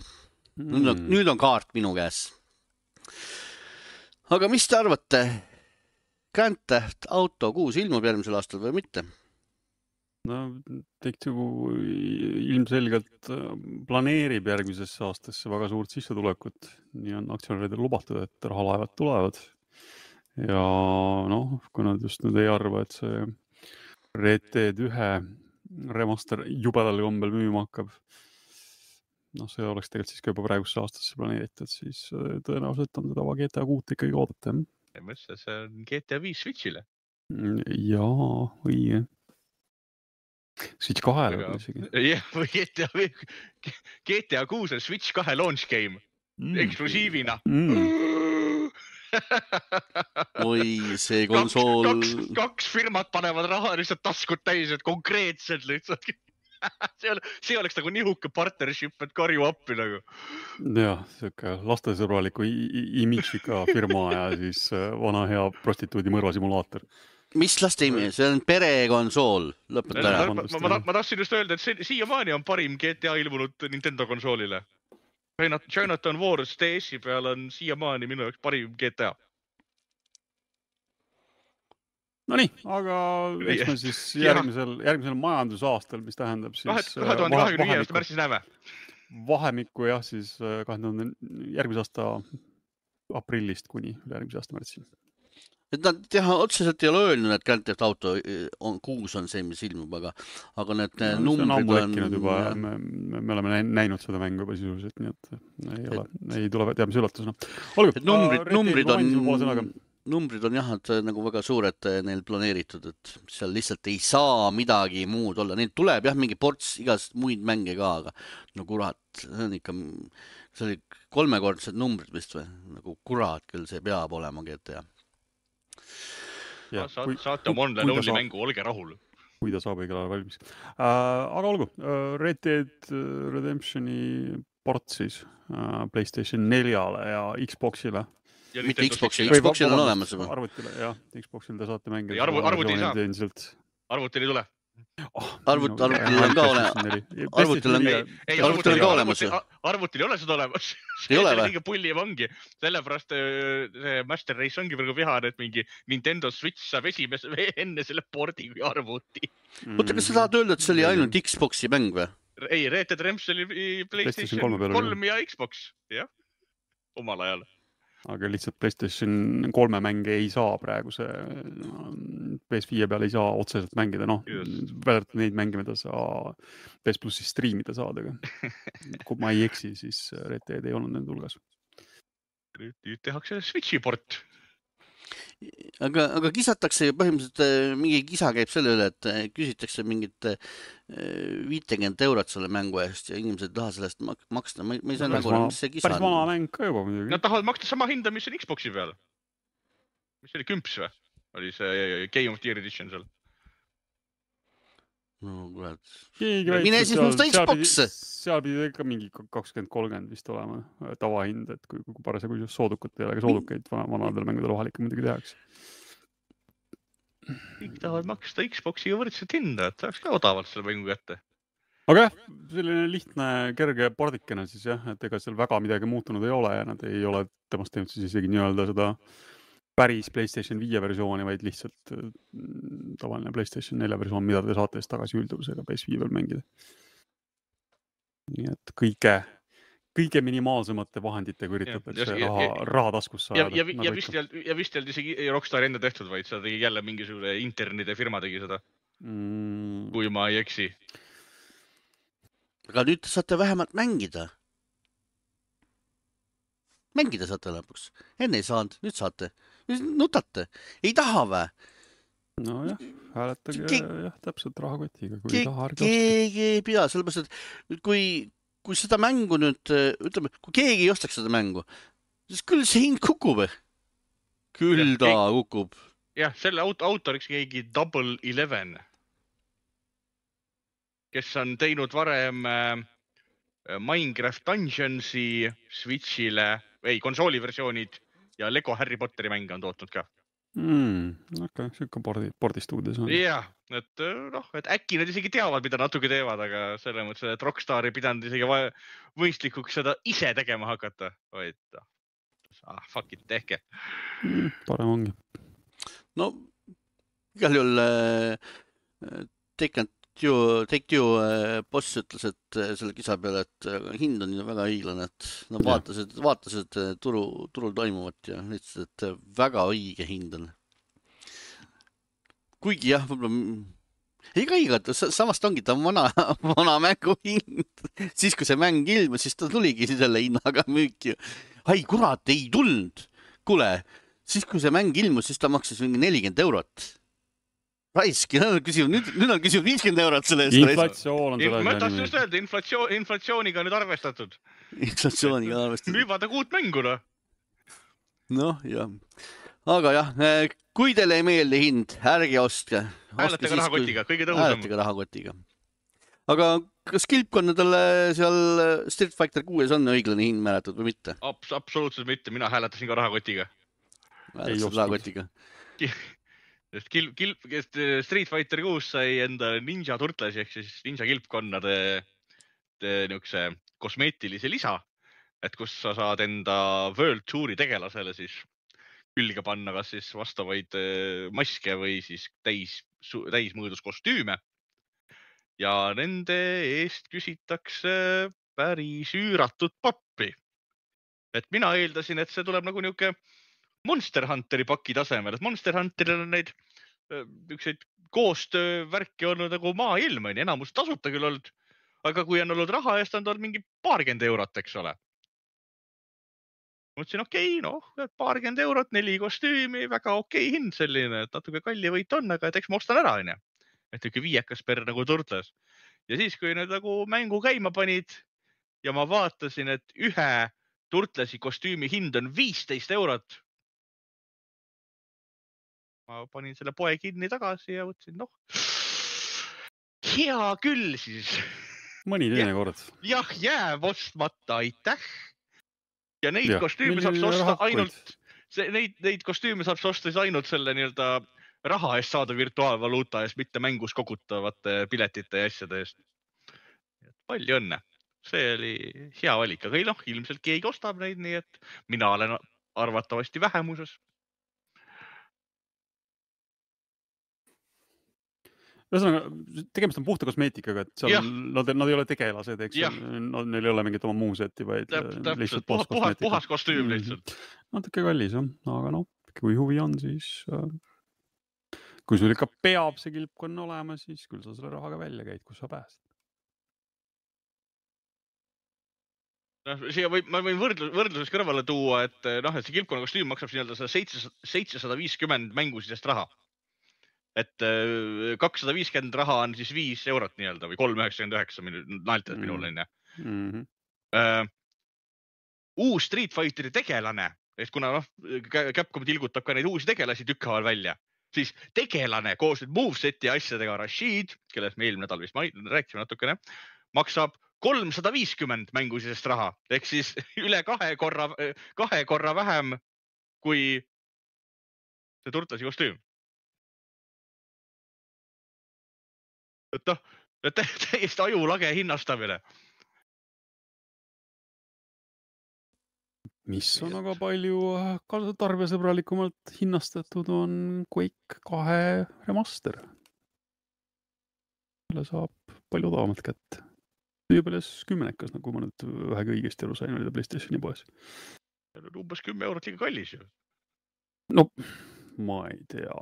[SPEAKER 1] Nüüd on kaart minu käes. Aga mis te arvate? Grand Theft Auto 6 ilmub järgmisel aastal või mitte?
[SPEAKER 2] No, Take-Two ilmselgelt planeerib järgmisesse aastasse väga suurt sissetulekut. Nii on aktsionäridel lubatud, et rahalaevad tulevad. Ja noh, kui nad just nüüd ei arva, et see Red Dead 1 remaster jubedal kombel müüma hakkab. No see oleks tegelikult siis ka juba praegusse aastasse planeeritud, siis tõenäoliselt on seda GTA 6 ikkagi oodata.
[SPEAKER 3] Ja mõtlesin, see on GTA 5 Switchile.
[SPEAKER 2] Jaa, õige. Switch 2 või isegi.
[SPEAKER 3] Jah, või GTA 6 on Switch 2 launch game. Eksklusiivina.
[SPEAKER 1] Oi, see konsool...
[SPEAKER 3] Kaks firmat panevad raha lihtsalt taskut täis, et konkreetselt lihtsalt... See oleks nagu nihuke partnership, et karju appi nagu.
[SPEAKER 2] Jah, siuke lastesõbraliku imidžika firma ja siis vana hea prostituudi mõrvasimulaator.
[SPEAKER 1] Mis laste imi? See on perekonsool. Lõpeta ära.
[SPEAKER 3] Ma tahtsin just öelda, et siiamaani on parim GTA ilmunud Nintendo konsoolile. Chinatown Wars DS-i peal on siiamaani minu jaoks parim GTA.
[SPEAKER 2] No nii, aga eks me siis järgmisel majandusaastal, mis tähendab siis
[SPEAKER 3] 2025 aasta märtsis näeme.
[SPEAKER 2] Vahemikku jah, siis 2000 järgmise aasta aprillist kuni järgmise aasta märtsi.
[SPEAKER 1] Et nad otseselt ei ole öelnud, et Grand Theft Auto 6 on see, mis ilmub, aga need numbrid on...
[SPEAKER 2] Juba, me oleme näinud seda mängu juba sisuliselt, nii et ei tule teadmise üllatusena.
[SPEAKER 1] Numbrid on jah, et nagu väga suured neil planeeritud, et seal lihtsalt ei saa midagi muud olla. Neil tuleb jah mingi ports igast muid mänge ka, aga no kurat, see on ikka, see oli 3-kordsed numbrid vist või? Nagu kurat küll see peab olema GTA.
[SPEAKER 3] Saate oma online-only mängu, olge rahul.
[SPEAKER 2] Kui ta saab õigel ajal valmis. Aga olgu, Red Dead Redemptioni port siis PlayStation 4-le ja Xboxile.
[SPEAKER 1] Mitte Xboxil on olemas juba.
[SPEAKER 2] Arvutile, jah. Xboxil te saate mängida.
[SPEAKER 3] Arvutil ei saa. Arvutil ei tule.
[SPEAKER 1] Arvutil on ka olemas. Arvutil on ka olemas.
[SPEAKER 3] Arvutil ei ole seda olemas.
[SPEAKER 1] Ei ole või?
[SPEAKER 3] Liiga pulli vangi. Sellepärast see Master Race ongi praegu vihane, et mingi Nintendo Switch saab enne selle pordi kui arvuti.
[SPEAKER 1] Oota, kas sa tahad öelda, et see oli ainult Xboxi mäng või?
[SPEAKER 3] Ei, Red Dead Redemption oli PlayStation 3 ja Xbox, jah. omal ajal.
[SPEAKER 2] Aga lihtsalt PlayStation 3 mänge ei saa praegu see PS5 peal ei saa otseselt mängida, noh, vääralt neid mänge, mida sa PS Plussis striimida saad, aga kui ma ei eksi, siis Red Dead ei olnud nende hulgas.
[SPEAKER 3] Nüüd tehakse Switchi port.
[SPEAKER 1] Aga kisatakse ju põhimõtteliselt, mingi kisa käib selle üle, et küsitakse mingit 50 eurot selle mängu eest ja inimesed ei taha sellest maksta. Ma ei saa nagu, mis see kisa
[SPEAKER 2] päris
[SPEAKER 1] on.
[SPEAKER 2] vana mäng ka juba muidugi.
[SPEAKER 3] Nad tahavad maksta sama hinda, mis on Xboxi peal. Mis oli 10 või? Oli see Game of the Year Edition seal?
[SPEAKER 1] No kurat.
[SPEAKER 2] Mine
[SPEAKER 1] siis musta Xbox!
[SPEAKER 2] Seal pidi ikka mingi 20-30 vist olema tavahind, et kui parasjagu soodukut ei ole, aga soodukeid vanadel mängudel vahel ikka muidugi tehakse.
[SPEAKER 3] Kõik tahavad maksta Xboxiga võrdset hinda, et saaks ka odavalt selle mängu kätte.
[SPEAKER 2] Aga jah, selline lihtne, kerge pordikene siis jah, et ega seal väga midagi muutunud ei ole ja nad ei ole temast teinud siis isegi nii-öelda seda päris PlayStation 5 versiooni, vaid lihtsalt tavaline PlayStation 4 versioon, mida te saate tagasi ülduvusega PS5 peal mängida. Nii et kõige minimaalsemate vahenditega üritatakse raha taskus saada.
[SPEAKER 3] Ja vist ei olnud isegi Rockstari enda tehtud, vaid seda tegi jälle mingisugune internide firma tegi seda. Kui ma ei eksi.
[SPEAKER 1] Aga nüüd saate vähemalt mängida. Mängida saate lõpuks. Enne ei saanud, nüüd saate. Nutate. Ei taha vä?
[SPEAKER 2] No jah, hääletage jah, täpselt rahakotiga, kui ei taha ärge
[SPEAKER 1] keegi ei pea, sellepärast, et kui seda mängu nüüd, ütleme, kui keegi ei ostaks seda mängu, siis küll see hind kukub. Küll ta kukub.
[SPEAKER 3] Jah, selle autoriks keegi Double 11, kes on teinud varem Minecraft Dungeonsi Switchile, konsooliversioonid ja Lego Harry Potteri mänge on tootnud ka.
[SPEAKER 2] Okay, siuke pordistuudios on.
[SPEAKER 3] Jah, et äkki nad isegi teavad, mida natuke teevad, aga selle mõttes, et Rockstar ei pidanud isegi võistlikuks seda ise tegema hakata. Vaid, fuck it, tehke.
[SPEAKER 2] Parem ongi.
[SPEAKER 1] No, igal juhul Take Two boss ütles, et selle kisa peale, et hind on ju väga õiglane, et nad vaatasid turul toimuvat ja lihtsalt, et väga õige hind on. Kuigi jah, võib-olla õigat, samast ongi ta vana mängu hind. Siis, kui see mäng ilmus, siis ta tuligi selle hinnaga müüki. Ai, kurat, ei tulnud. Kuule, siis, kui see mäng ilmus, siis ta maksis mingi 40 eurot. Raiski, nüüd on küsinud 50 eurot selle eest.
[SPEAKER 2] Inflatsioon on selle
[SPEAKER 3] ma tahtsin just öelda, inflatsiooniga nüüd arvestatud.
[SPEAKER 1] Inflatsiooniga arvestatud.
[SPEAKER 3] Müüvad uut mänguna.
[SPEAKER 1] Noh, jah. Aga jah, kui teile ei meeldi hind, ärge ostke.
[SPEAKER 3] Hääletage rahakotiga, kõige tõhusam.
[SPEAKER 1] Hääletage rahakotiga. Aga kas kilpkonnadele seal Street Fighter 6 on õiglane hind määratud või mitte?
[SPEAKER 3] Absoluutselt mitte, mina hääletasin ka rahakotiga.
[SPEAKER 1] Hääletasin rahakotiga.
[SPEAKER 3] Street Fighter 6 sai enda Ninja Turtlesi ehk siis Ninja kilpkonnade niukse kosmeetilise lisa, et kus sa saad enda World Touri tegelasele siis külge panna kas siis vastavaid maske või siis täismõõdus kostüüme. Ja nende eest küsitakse päris üüratud pappi. Et mina eeldasin, et see tuleb nagu niuke Monster Hunteri paki tasemel, et Monster Hunteril on neid koostöövärki olnud nagu maailm, enamus tasuta küll olnud, aga kui on olnud raha eest, on olnud mingi 20 eurot, eks ole. Mõtlesin, $20 eurot, 4 kostüümi, väga hind selline, et natuke kalli võit on, aga eks ma ostan ära, on. Et ikka 5 per nagu turtles. Ja siis, kui need nagu mängu käima panid ja ma vaatasin, et ühe turtlesi kostüümi hind on 15 eurot, ma panin selle poe kinni tagasi ja võtsin, hea küll siis.
[SPEAKER 2] Mõni teine kord.
[SPEAKER 3] Jah, jääb ostmata, aitäh. Ja neid kostüüme saab osta ainult, neid kostüüme saab osta ainult selle nii-öelda raha eest saada virtuaalvaluuta eest, mitte mängus kogutavate piletite ja asjade eest. Palju õnne. See oli hea valik, aga ilmselt keegi ostab neid, nii et mina olen arvatavasti vähemuses.
[SPEAKER 2] Ühesõnaga, tegemist on puhta kosmeetikaga, et seal nad ei ole tegelased, eks neil ei ole mingit oma muuseti, vaid lihtsalt
[SPEAKER 3] puhas kostüüm lihtsalt.
[SPEAKER 2] Natuke kallis, aga kui huvi on, siis kui sul ikka peab see kilpkonn olema, siis küll sa selle rahaga välja käid, kus sa pääsed.
[SPEAKER 3] Ma võin võrdluses kõrvale tuua, et see kilpkonna kostüüm maksab nii-öelda 750 mängusisest raha. Et 250 raha on siis 5 eurot nii-öelda või 3,99 naeltad minul on. Uus Street Fighteri tegelane, et kuna Capcom tilgutab ka neid uusi tegelasi tükkhaaval välja, siis tegelane koos moveseti asjadega Rashid, kellest me eelmine nädal vist rääkisime natukene, maksab 350 mängusisest raha, ehk siis üle 2 korra vähem kui see turtlasi kostüüm. Et täiesti ajulage hinnastamine.
[SPEAKER 2] Mis on aga palju tarbijasõbralikumalt hinnastatud on Quake 2 remaster. Selle saab palju odavamalt kätte. Ülepeales 10-kas, nagu ma nüüd vähegi õigesti aru sain, oli ta PlayStationi poes.
[SPEAKER 3] Umbes 10 eurot liiga kallis ju.
[SPEAKER 2] No, ma ei tea,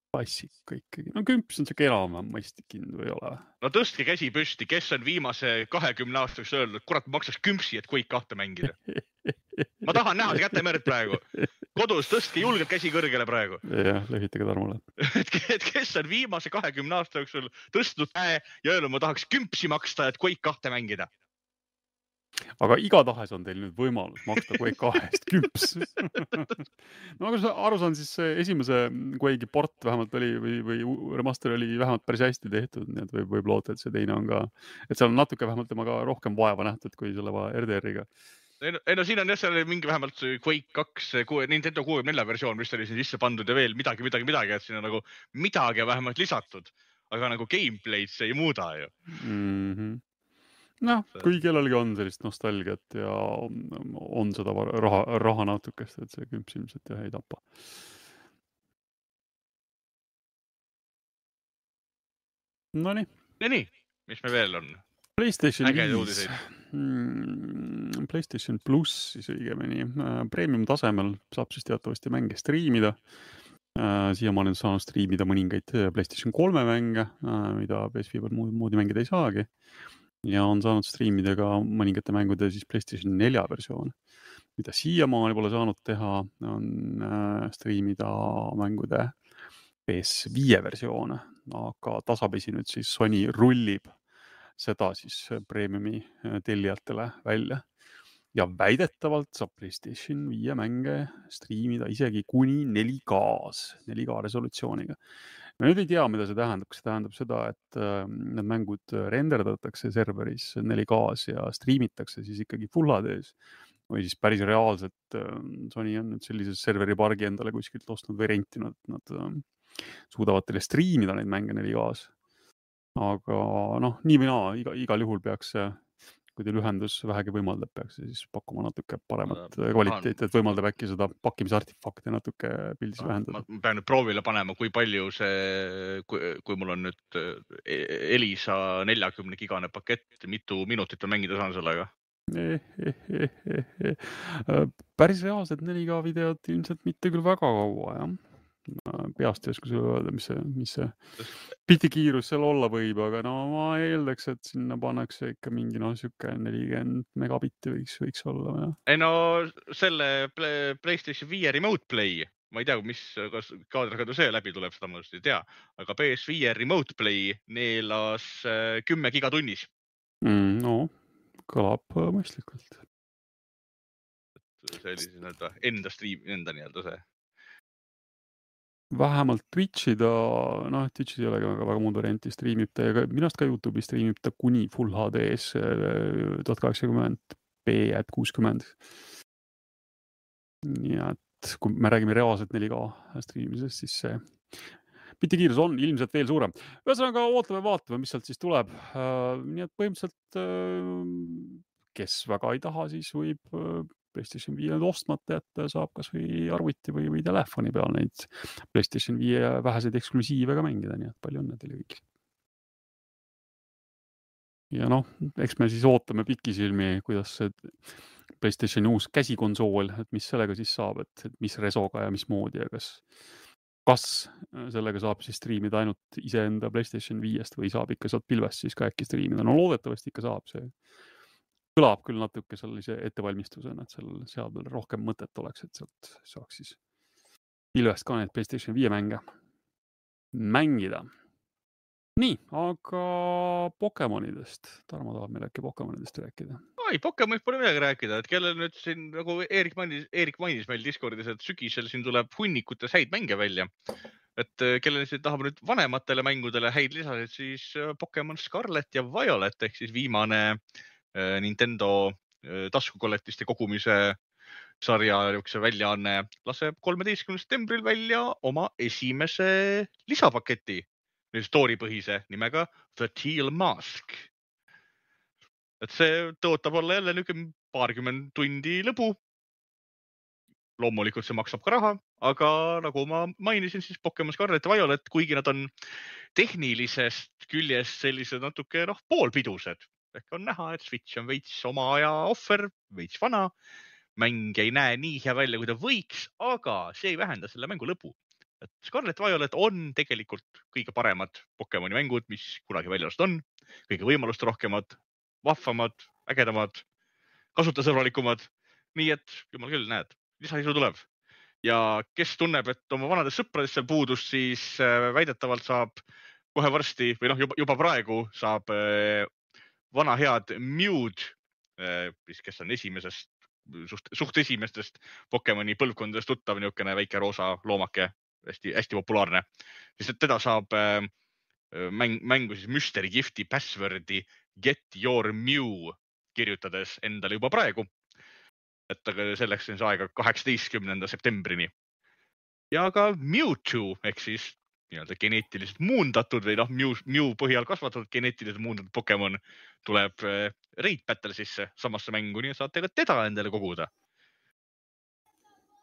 [SPEAKER 2] klassika ikkagi. 10 on see enam mõistlik hind või ei ole?
[SPEAKER 3] No tõstke käsi püsti, kes on viimase 20 aastaks öelnud, kurat, maksaks 10 et Quake 2 mängida. Ma tahan näha see kätemerd praegu. Kodus tõstke julgelt käsi kõrgele praegu.
[SPEAKER 2] Jah, lehitage Tarmole.
[SPEAKER 3] Et kes on viimase 20 aasta jooksul tõstnud käe ja öelnud, ma tahaks 10 maksta, et Quake 2 mängida.
[SPEAKER 2] Aga igatahes on teil nüüd võimalus maksta Quake 2 eest 10. No aga aru saan, siis esimese Quake'i port vähemalt oli või remaster oli vähemalt päris hästi tehtud, nii et võib loota, et see teine on ka, et seal on natuke vähemalt temaga rohkem vaeva nähtud kui selle RDR-iga.
[SPEAKER 3] Ei, siin on jah, seal oli mingi vähemalt Quake 2, Nintendo 64 versioon, mis oli siin sisse pandud ja veel midagi, et siin on nagu midagi vähemalt lisatud, aga nagu gameplay'd see ei muuda ju.
[SPEAKER 2] Kui kellelgi on sellist nostalgiat ja on seda raha natukest, et see 10 ilmselt ei tapa. Nonii.
[SPEAKER 3] Mis me veel on?
[SPEAKER 2] PlayStation 5. PlayStation Plus siis õigemini. Premium tasemel saab siis teatavasti mänge striimida. Siiamaani on saanud striimida mõningaid PlayStation 3 mänge, mida PS5 moodi mängida ei saagi. Ja on saanud striimida ka mõningate mängude siis PlayStation 4 versioon. Mida siiamaani pole saanud teha, on striimida mängude PS5 versioone, aga tasapisi nüüd siis Sony rullib seda siis premiumi tellijatele välja. Ja väidetavalt saab PlayStation 5 mänge striimida isegi kuni 4K resolutsiooniga. Me nüüd ei tea, mida see tähendab. See tähendab seda, et need mängud renderdatakse serveris 4K-s ja striimitakse siis ikkagi Full HD-s. Või siis päris reaalselt Sony on nüüd sellise serveri pargi endale kuskilt ostnud või rentinud. Nad suudavad teile striimida neid mänge 4K-s. Aga nii või naa, igal juhul peaks see, kui teil ühendus vähegi võimaldab, peaks siis pakkuma natuke paremat kvaliteeti, et võimaldab äkki seda pakkimisartifakti natuke pildis vähendada.
[SPEAKER 3] Ma pean nüüd proovile panema, kui palju see, kui mul on nüüd Elisa 40-gigane pakett, mitu minutit on mängida saan sellega?
[SPEAKER 2] Päris reaalselt 4K videot ilmselt mitte küll väga kaua, jah. Peast ei oska sulle öelda, mis see pitikiirus seal olla võib, aga ma eeldaks, et sinna pannakse ikka mingi süke 40 megabitti võiks olla. Ja.
[SPEAKER 3] Ei selle PlayStation 5 Remote Play, ma ei tea, kas kaadriga see läbi tuleb, seda ma just ei tea, aga PS5 Remote Play neelas 10 gigatunnis.
[SPEAKER 2] Kõlab mõistlikult.
[SPEAKER 3] See oli siis enda nii-öelda see.
[SPEAKER 2] Vähemalt Twitchi Twitchis ei ole väga muud varianti, striimib ta ja minast ka YouTube'i striimib ta kuni Full HD-s 1080p et 60. Nii et kui me räägime reaalselt 4K striimimisest, siis see pitikiirus on ilmselt veel suurem. Ühesõnaga vaatame, mis sealt siis tuleb. Nii et põhimõtteliselt, kes väga ei taha, siis võib PlayStation 5 ostmata jätta ja saab kas või arvuti või telefoni peal neid PlayStation 5 väheseid eksklusiive ka mängida, nii et palju õnne teile kõik. Ja noh, eks me siis ootame pikisilmi, kuidas see PlayStationi uus käsikonsool, et mis sellega siis saab, et mis resoga ja mis moodi ja kas sellega saab siis striimida ainult iseenda PlayStation 5-st või saab ikka sealt pilvest siis ka äkki striimida. No loodetavasti ikka saab, see kõlab küll natuke sellise ettevalmistusena, et seal seadmel rohkem mõtet oleks, et sealt saaks siis pilvest ka need PlayStation 5 mänge mängida. Nii, aga Pokemonidest. Tarmo tahab meil äkki Pokemonidest rääkida.
[SPEAKER 3] Ei, Pokemonid pole midagi rääkida, et kellel nüüd siin, nagu Eerik mainis meil Discordis, et sügisel siin tuleb hunnikutes häid mänge välja. Et kellel siin tahab nüüd vanematele mängudele häid lisasid, siis Pokemon Scarlet ja Violet ehk siis viimane Nintendo taskukolletiste kogumise sarja väljaanne laseb 13. septembril välja oma esimese lisapaketi, story-põhise nimega The Teal Mask. Et see tõotab olla jälle niisugune paarkümmend tundi lõbu. Loomulikult see maksab ka raha, aga nagu ma mainisin, siis Pokemon Scarlet ja Violet, kuigi nad on tehnilisest küljest sellised natuke poolpidused. Ehk on näha, et Switch on veits oma aja ohver, veits vana. Mäng ei näe nii hea välja, kui ta võiks, aga see ei vähenda selle mängu lõbu. Et Scarlet Violet on tegelikult kõige paremad Pokemoni mängud, mis kunagi väljast on. Kõige võimalust rohkemad, vahvamad, ägedamad, kasutajasõbralikumad. Nii et, jumal küll, näed, lisaisu tuleb. Ja kes tunneb, et oma vanadest sõpradest seal puudust, siis väidetavalt saab kohe varsti, või juba praegu saab vana head Mewd, kes on suht esimestest Pokemoni põlvkondadest tuttav niisugune väike roosa loomake, hästi populaarne. Siis teda saab mängu siis Mystery Gifti passwordi Get Your Mew kirjutades endale juba praegu. Et selleks on see aega 18. septembrini. Ja ka Mewtwo, ehk siis geneetiliselt muundatud või Mew põhjal kasvatatud geneetiliselt muundatud Pokemon tuleb Raid Battlesisse samasse mängu, nii saate ka teda endale koguda.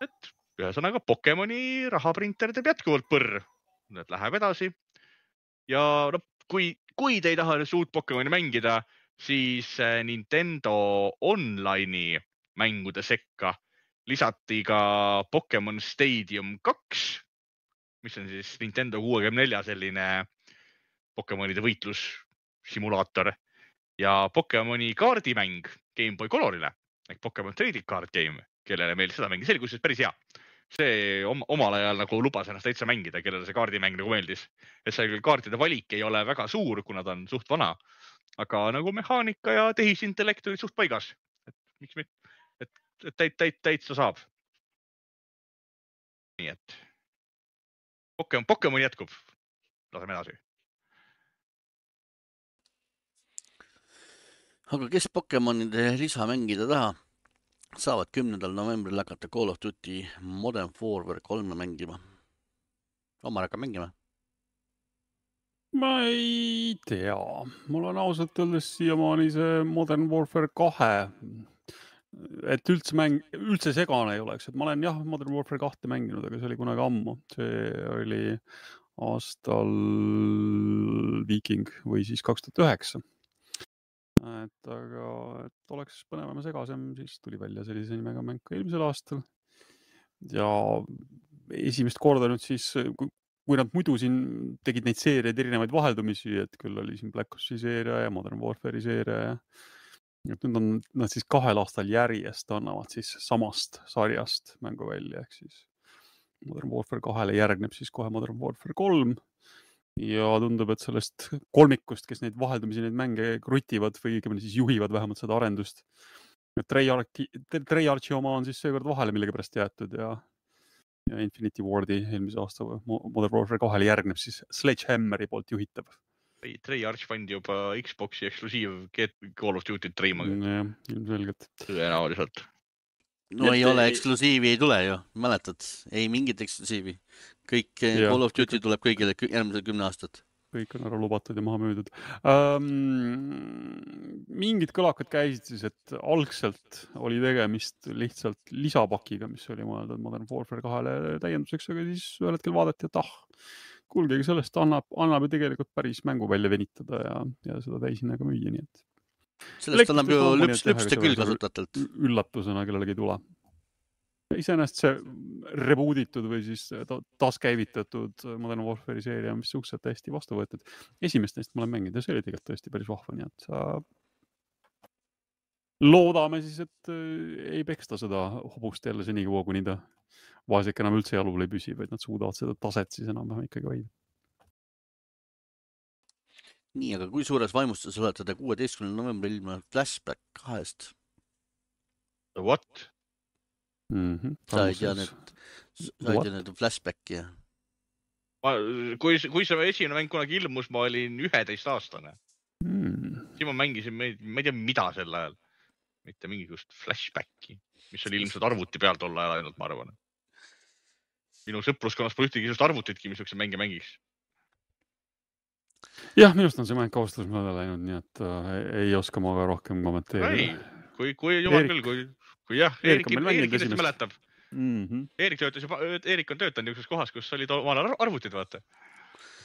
[SPEAKER 3] Et ühesõnaga Pokemoni rahaprinter teeb jätkuvalt põrr. Need läheb edasi. Ja kui te ei taha uut Pokemoni mängida, siis Nintendo Online'i mängude sekka lisati ka Pokemon Stadium 2, mis on siis Nintendo 64 selline Pokemonide võitlussimulaator ja Pokemoni kaardimäng Game Boy Colorile ehk Pokemon Trading Card Game, kellele meil seda mängis, see oli kusjuures päris hea. See omal ajal nagu lubas ennast täitsa mängida, kellele see kaardimäng nagu meeldis. Et see kaartide valik ei ole väga suur, kuna ta on suht vana, aga nagu mehaanika ja tehisintellekt oli suht paigas. Et miks mitte? Et täitsa saab. Nii et Pokemon jätkub. Laseme edasi.
[SPEAKER 1] Aga kes Pokemonide lisa mängida taha, saavad 10. novembril hakata Call of Duty Modern Warfare 3 mängima. Omar hakkab mängima?
[SPEAKER 2] Ma ei tea. Mul on ausalt öeldes siiamaani see Modern Warfare 2, et üldse segane ei oleks. Et ma olen Modern Warfare 2 mänginud, aga see oli kunagi ammu. See oli aastal Viking või siis 2009. Aga et oleks põnevam ja segasem, siis tuli välja sellise nimega mäng eelmisel aastal. Ja esimest korda nüüd siis, kui nad muidu siin tegid neid seeriaid erinevaid vaheldumisi, et küll oli siin Black Opsi seeria ja Modern Warfare'i seeria ja nüüd on nad siis 2 aastal järjest annavad siis samast sarjast mängu välja, ehk siis Modern Warfare 2-le järgneb siis kohe Modern Warfare 3 ja tundub, et sellest kolmikust, kes neid vaheldumisi neid mänge krutivad või siis juhivad vähemalt seda arendust. Treyarchi oma on siis seekord vahele millegipärast jäetud ja Infinity Wardi eelmise aasta Modern Warfare 2-le järgneb siis Sledgehammeri poolt juhitav.
[SPEAKER 3] Treyarch pandi juba Xboxi eksklusiiv Call of Duty treima.
[SPEAKER 2] Ilmselgelt.
[SPEAKER 3] Tõenäoliselt.
[SPEAKER 1] No ei ole, eksklusiivi ei tule ju. Mäletad, ei mingit eksklusiivi. Kõik Call of Duty tuleb kõigile järgmisel 10 aastat.
[SPEAKER 2] kõik on ära lubatud ja maha müüdud. Mingid kõlakad käisid siis, et algselt oli tegemist lihtsalt lisapakiga, mis oli mõeldud Modern Warfare 2 täienduseks, aga siis ühel hetkel vaadati, et kuulgegi sellest annab ju tegelikult päris mängu välja venitada ja seda täishinnaga müüa, nii et.
[SPEAKER 1] Sellest annab ju lüpste küll kasutatelt.
[SPEAKER 2] Üllatusena kellelegi ei tule. Iseenesest see rebooditud või siis taaskäivitatud Modern Warfare'i seeria, mis suhteliselt hästi vastu võetud. Esimest neist ma olen mänginud ja see oli tegelikult tõesti päris vahva, nii et loodame siis, et ei peksta seda hobust jälle seni kuua, kuni ta vaesek enam üldse jalul ei püsi, vaid nad suudavad seda taset siis enam ikkagi hoida.
[SPEAKER 1] Nii, aga kui suures vaimustus olete te 16. novembril ilma Flashback 2-st?
[SPEAKER 3] What?
[SPEAKER 1] Sa ei tea need Flashbacki, jah?
[SPEAKER 3] Kui see esimene mäng kunagi ilmus, ma olin 11-aastane. Siis ma mängisin, ma ei tea mida sel ajal. Mitte mingisugust Flashbacki, mis oli ilmselt arvuti peal tol ajal ainult, ma arvan. Minu sõpruskonnas pole ühtegi arvutitki, mis üks mänge mängiks.
[SPEAKER 2] Jah, minust on see mäng kaustus mõnda läinud, nii et ei oska ma ka rohkem kommenteerida.
[SPEAKER 3] Kui jumal küll, kui jah, Eerik kindlasti mäletab. Eerik on töötanud niisuguses kohas, kus oli omal arvutid, vaata.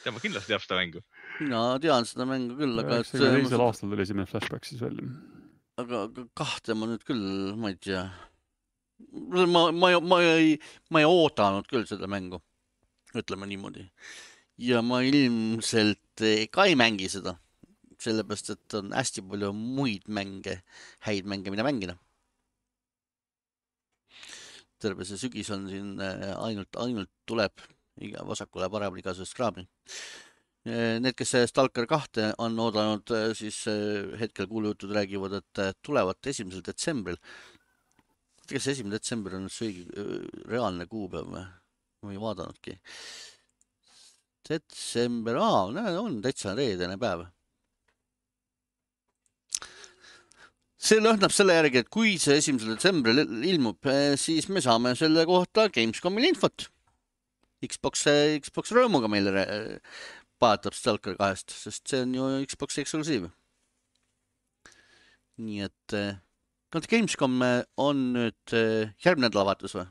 [SPEAKER 3] Tema kindlasti teab seda mängu.
[SPEAKER 1] Mina tean seda mängu küll, aga...
[SPEAKER 2] 92. aastal tuli esimene Flashback siis välja.
[SPEAKER 1] Aga kahte ma nüüd küll, ma ei tea. Ma ei oodanud küll seda mängu, ütleme niimoodi. Ja ma ilmselt ka ei mängi seda, sellepärast, et on hästi palju muid mänge, häid mänge, mida mängida. Terve see sügis on siin ainult tuleb vasakule paremale igasugust kraami. Need, kes Stalker 2 on oodanud, siis hetkel kuulujutud räägivad, et tulevad 1. detsembril. Kas 1. detsember on see reaalne kuupäev või? Ma ei vaadanudki. Detsember, on täitsa reedene päev. See lõhnab selle järgi, et kui see 1. detsembril ilmub, siis me saame selle kohta Gamescomil infot. Xbox rõõmuga meile paatab Stalker 2, sest see on ju Xbox eksklusiiv. Nii et Gamescom on nüüd järgmine nädalavahetus või?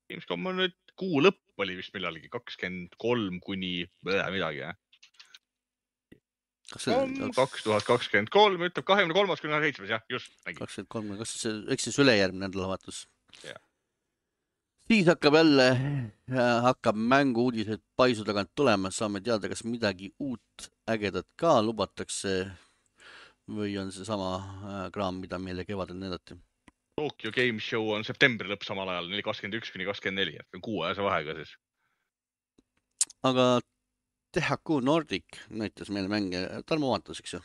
[SPEAKER 3] Gamescom on nüüd kuu lõpp oli vist millalgi 23 kuni midagi, jah? 2023 ütleb 23. kuni 7. jah, just.
[SPEAKER 1] 23, eks siis ülejärgmine nädalavahetus. Siis hakkab mängu uudised paisu tagant tulema, saame teada, kas midagi uut ägedat ka lubatakse või on see sama kraam, mida meile kevadel näidati.
[SPEAKER 3] Tokyo Game Show on septembri lõpp samal ajal, 21 kuni 24, et 6 ajase vahega siis.
[SPEAKER 1] Aga THQ Nordic näitas meile mänge, Tarmo vaatas, eks ju?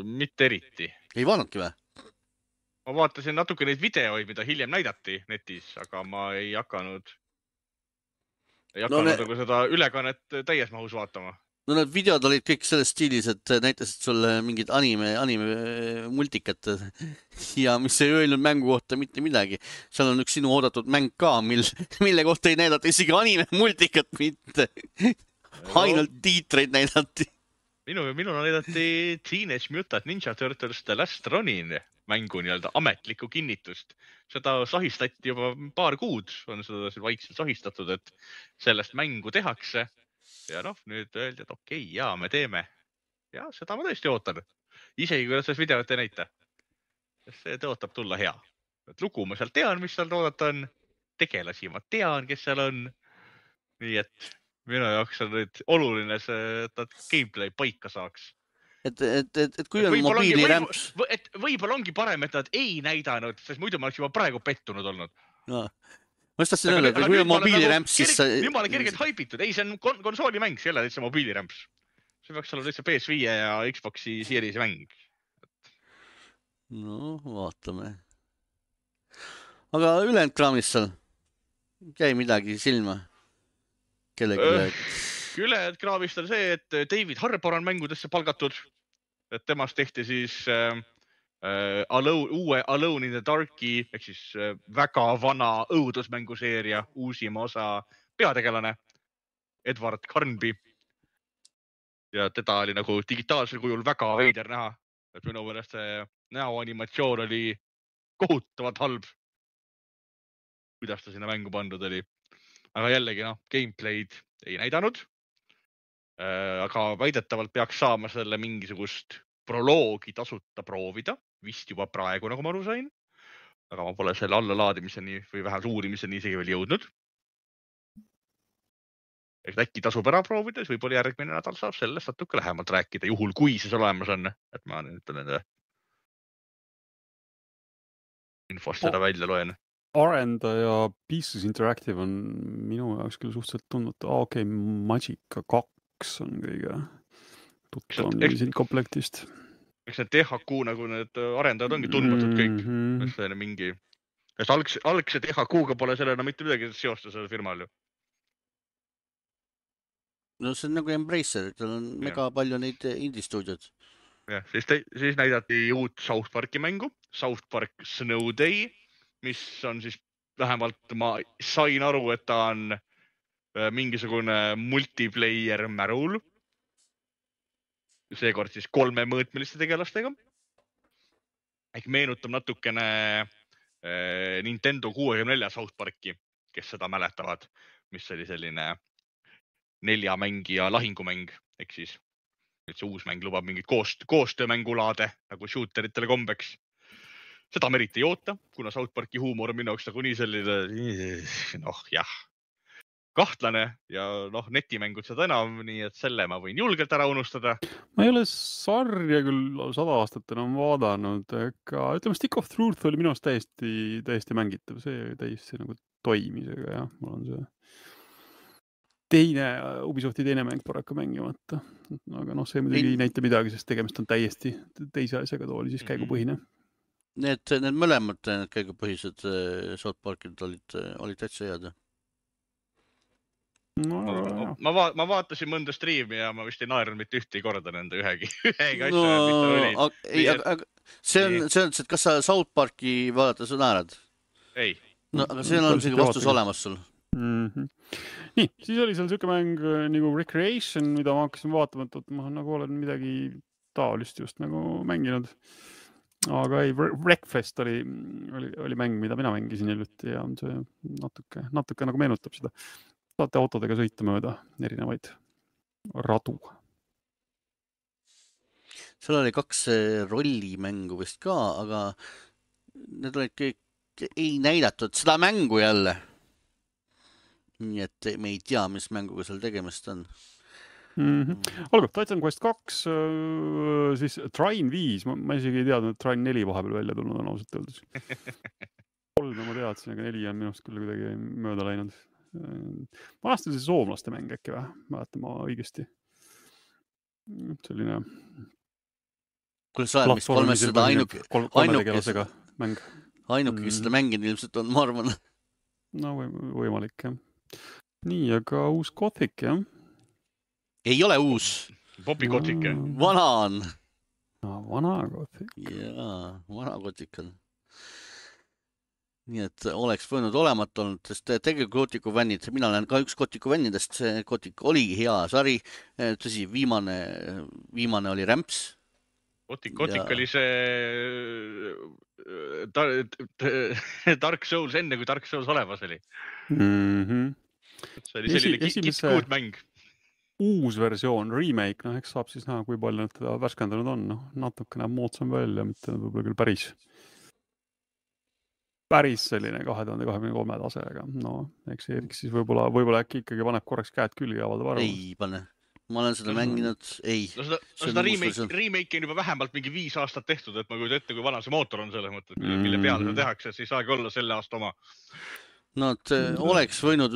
[SPEAKER 3] Mitte eriti.
[SPEAKER 1] Ei vaadnudki või?
[SPEAKER 3] Ma vaatasin natuke neid videoid, mida hiljem näidati netis, aga ma ei hakanud seda ülekannet täies mahus vaatama.
[SPEAKER 1] No need videod olid kõik selles stiilis, et näitasid sulle mingid anime multikat ja mis ei öelnud mängu kohta mitte midagi. Seal on üks sinu oodatud mäng ka, mille kohta ei näidata isegi anime multikat mitte. Ainult tiitreid näidati.
[SPEAKER 3] Minul näidati Teenage Mutant Ninja Turtles The Last Ronin mängu nii-öelda ametlikku kinnitust. Seda sahistati juba paar kuud, on seda vaikselt sahistatud, et sellest mängu tehakse. Ja nüüd öeldi, et okei, jaa, me teeme. Ja seda ma tõesti ootan. Isegi kui selles videot ei näita. See tõotab tulla hea. Et lugu ma seal tean, mis seal oodata on. Tegelasi ma tean, kes seal on. Nii et minu jaoks on nüüd oluline see, et nad gameplay paika saaks.
[SPEAKER 1] Et kui on mobiilirämps...
[SPEAKER 3] Võib-olla ongi parem, et nad ei näidanud, sest muidu ma oleks juba praegu pettunud olnud.
[SPEAKER 1] No. Ma just tahtsin öelda, et kui on mobiilirämps, siis...
[SPEAKER 3] Nüüd ma olen kergelt haipitud. Ei, see on konsoolimäng, see ei ole täitsa mobiilirämps. See peaks olla täitsa PS5 ja Xboxi Series mäng.
[SPEAKER 1] No, vaatame. Aga ülejäänud kraamist seal jäi midagi silma?
[SPEAKER 3] Ülejäänud kraamist on see, et David Harbour on mängudesse palgatud. Et temast tehti siis... uue Alone in the Darki ehk siis väga vana õudusmänguseeria uusima osa peategelane Edward Carnby. ja teda oli nagu digitaalsel kujul väga veider näha. Et minu meelest see näoanimatsioon oli kohutavalt halb. Kuidas ta sinna mängu pandud oli. Aga jällegi, gameplay'd ei näidanud. Aga väidetavalt peaks saama selle mingisugust proloogi tasuta proovida. Vist juba praegu, nagu ma aru sain. Aga ma pole selle allalaadimiseni või vähemalt uurimiseni isegi veel jõudnud. Et äkki tasub ära proovida, siis võib-olla järgmine nädal saab sellest natuke lähemalt rääkida, juhul kui siis olemas on. Et ma nüüd nende infost seda välja loen.
[SPEAKER 2] Arendaja Pieces Interactive on minu jaoks küll suhteliselt tundnud. Okei, Magica 2 on kõige tuttavam siin komplektist.
[SPEAKER 3] Eks need THQ nagu need arendajad ongi tundmatud kõik. See on mingi... Algse THQ-ga pole sellena mitte midagi seosta selle firmal ju.
[SPEAKER 1] No see on nagu Embracer, tal on mega palju neid indie-stuudiod.
[SPEAKER 3] Ja, siis näidati uut South Parki mängu, South Park Snow Day, mis on siis vähemalt ma sain aru, et ta on mingisugune multiplayer märul. Seekord siis 3-mõõtmeliste tegelastega. Ehk meenutab natukene Nintendo 64 South Parki, kes seda mäletavad, mis oli selline 4-mängija lahingumäng, ehk siis see uus mäng lubab mingit koostöömängulaade nagu shooteritele kombeks. Seda me eriti ei oota, kuna South Parki huumor on minu jaoks nagu nii selline, kahtlane ja netimängud seda enam, nii et selle ma võin julgelt ära unustada.
[SPEAKER 2] Ma ei ole sarja küll 100 aastat enam vaadanud, aga ütleme, Stick of Truth oli minu arust täiesti mängitav, see täiesti nagu toimisega, jah, mul on see Ubisofti teine mäng paraku mängimata. Aga see muidugi ei näita midagi, sest tegemist on täiesti teise asjaga, too oli siis käigupõhine.
[SPEAKER 1] Need mõlemad käigupõhised South Parkid olid täitsa head.
[SPEAKER 3] Ma vaatasin mõnda striimi ja ma vist ei naernud mitte ühte korda nende ühegi asja.
[SPEAKER 1] See on, et kas sa South Parki vaadata, sa naerad?
[SPEAKER 3] Ei.
[SPEAKER 1] Aga see on selline vastus olemas sul.
[SPEAKER 2] Nii, siis oli seal selline mäng nagu Recreation, mida ma hakkasin vaatama, et ma nagu olen midagi taolist just nagu mänginud. Aga ei, Wreckfest oli mäng, mida mina mängisin hiljuti ja see natuke nagu meenutab seda. Saate autodega sõita mööda erinevaid radu.
[SPEAKER 1] Seal oli 2 rollimängu vist ka, aga need olid kõik ei näidatud seda mängu jälle. Nii et me ei tea, mis mänguga seal tegemist on.
[SPEAKER 2] Olgu, Titan Quest 2, siis Trine 5, ma isegi ei teadnud, et Trine 4 vahepeal välja tulnud on ausalt öeldes. 3 ma teadsin, aga 4 on minust küll kuidagi mööda läinud. Vanasti oli see soomlaste mäng äkki või? Mäletan ma õigesti. Selline
[SPEAKER 1] ainuke
[SPEAKER 2] mäng.
[SPEAKER 1] Ainuke seda mängin ilmselt on, ma arvan.
[SPEAKER 2] No võimalik, jah. Nii, aga uus Gothic, jah?
[SPEAKER 1] Ei ole uus.
[SPEAKER 3] Popi Gothic, jah?
[SPEAKER 1] Vana on.
[SPEAKER 2] Vana Gothic.
[SPEAKER 1] Jaa, vana Gothic on. Nii et oleks võinud olemat olnud, sest tegelikult Gothicu fännid, mina olen ka üks Gothicu fännidest, see Gothic oli hea sari, tõsi, viimane oli Ramps.
[SPEAKER 3] Gothic oli see Dark Souls enne, kui Dark Souls olemas oli. See oli selline kitkuud mäng.
[SPEAKER 2] Uus versioon, remake, eks saab siis näha, kui palju nad teda värskendanud on. Natuke näeb moodsam välja, mitte võib-olla küll päris selline 2023 tasega. Eks Erik siis võib-olla äkki ikkagi paneb korraks käed külge ja avaldab arvamust.
[SPEAKER 1] Ei pane. Ma olen seda mänginud, ei.
[SPEAKER 3] Seda remake on juba vähemalt mingi 5 aastat tehtud, et ma kujutan ette, kui vana see mootor on selles mõttes, mille peale seda tehakse, siis saagi olla selle aasta oma.
[SPEAKER 1] Oleks võinud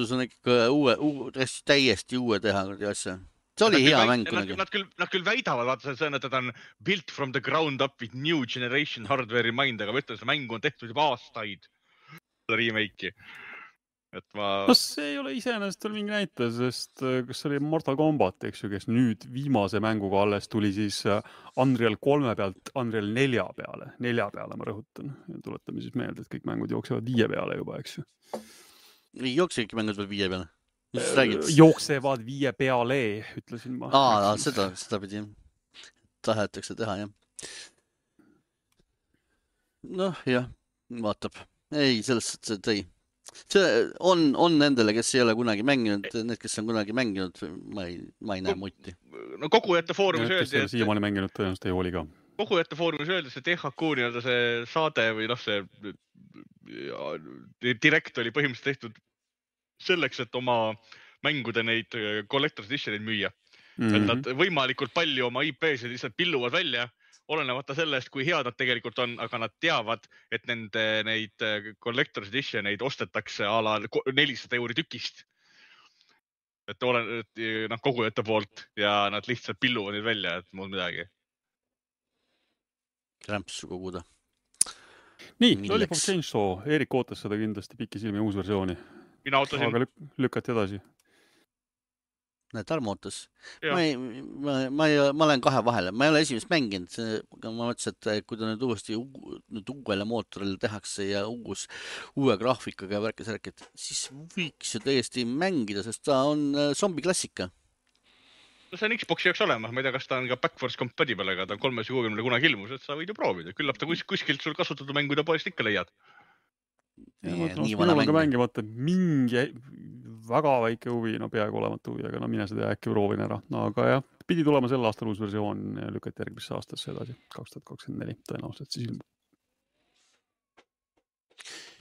[SPEAKER 1] täiesti uue teha asja. See oli hea mäng kunagi.
[SPEAKER 3] Nad küll väidavad, vaata, et ta on built from the ground up with new generation hardware'i mind, aga ma ütlen, see mängu on tehtud juba aastaid remake'i.
[SPEAKER 2] See ei ole iseenesest veel mingi näite, sest kas see oli Mortal Kombat, eks ju, kes nüüd viimase mänguga alles tuli siis Unreal 3 pealt Unreal 4 peale. 4 peale ma rõhutan. Tuletame siis meelde, et kõik mängud jooksevad 5 peale juba, eks ju.
[SPEAKER 1] Ei jooksegi mängud veel 5 peale? mis räägid?
[SPEAKER 2] Jooksevad 5 peale, ütlesin ma.
[SPEAKER 1] Seda pidi tahetakse teha, jah. Noh, jah, vaatab. Ei, sellest tõi. See on nendele, kes ei ole kunagi mänginud, need, kes on kunagi mänginud, ma ei näe mutti.
[SPEAKER 3] No kogujate foorumis öeldi,
[SPEAKER 2] et... Siiamaani mänginud tõenäoliselt ei oli ka.
[SPEAKER 3] Kogujate foorumis öeldi, see THQ nii-öelda see saade või see direkt oli põhimõtteliselt tehtud selleks, et oma mängude neid Collector's Editioneid müüa. Et nad võimalikult palju oma IP-sid lihtsalt pilluvad välja, olenemata sellest, kui head nad tegelikult on, aga nad teavad, et nende neid Collector's Editioneid ostetakse ala 400 € tükist. Et kogujate poolt ja nad lihtsalt pilluvad neid välja, et muud midagi.
[SPEAKER 1] Rämpsu koguda.
[SPEAKER 2] Nii, Lollipop Chainsaw. Erik ootas seda kindlasti pikisilmi uus versiooni.
[SPEAKER 3] Mina ootasin.
[SPEAKER 2] Aga lükati edasi.
[SPEAKER 1] Näed, Tarmo ootas. Ma olen kahe vahele. Ma ei ole esimest mänginud. Ma mõtlesin, et kui ta nüüd uuesti uuele mootoril tehakse ja uue graafikaga ja värkis, siis võiks ju täiesti mängida, sest ta on zombiklassika.
[SPEAKER 3] No see on Xboxi jaoks olemas. Ma ei tea, kas ta on ka backwards compatible, aga ta on 360 kunagi ilmus, et sa võid ju proovida. Küllap ta kuskilt sul kasutatud mängude poest ikka leiad.
[SPEAKER 2] Minul on ka mängimata mingi väga väike huvi, peaaegu olematu huvi, aga mine seda äkki proovin ära. Aga jah, pidi tulema sel aastal uus versioon ja lükati järgmisse aastasse edasi, 2024 tõenäoliselt siis ilmub.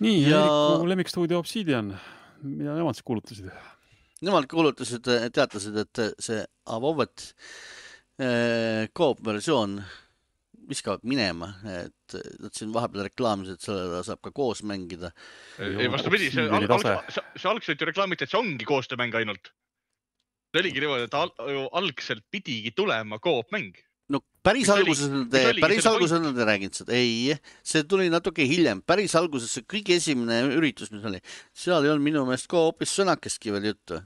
[SPEAKER 2] Nii, Eeriku lemmikstuudio Obsidian, mida nemad siis kuulutasid?
[SPEAKER 1] Nemad kuulutasid, teatasid, et see Avowed koop-versioon viskavad minema, et siin vahepeal reklaamisid, et selle saab ka koos mängida.
[SPEAKER 3] Ei, vastupidi, see algselt ju reklaamiti, et see ongi koostöömäng ainult. See oligi niimoodi, et algselt pidigi tulema koopmäng.
[SPEAKER 1] No päris alguses nad ei rääginud seda. Ei, see tuli natuke hiljem. Päris alguses see kõige esimene üritus, mis oli. Seal ei olnud minu meelest koopis sõnakestki veel juttu.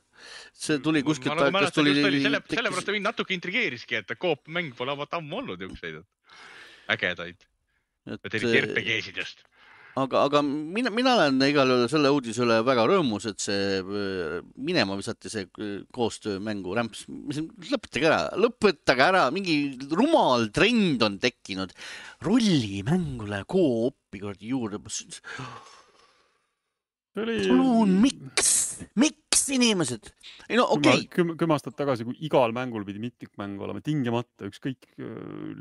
[SPEAKER 1] See tuli kuskilt...
[SPEAKER 3] Sellepärast mind natuke intrigeeriski, et koopmäng pole ammu olnud jõukseid. Ägedaid. Et eriti RPG-sid just.
[SPEAKER 1] Aga mina olen igal juhul selle uudise üle väga rõõmus, et see minema visati see koostöömängu rämps. Lõpetage ära. Mingi rumal trend on tekkinud. Rollimängule koopi juurde. Palun, miks inimesed? Ei, no okei.
[SPEAKER 2] 10 aastat tagasi, kui igal mängul pidi mitmikmäng olema, tingimata ükskõik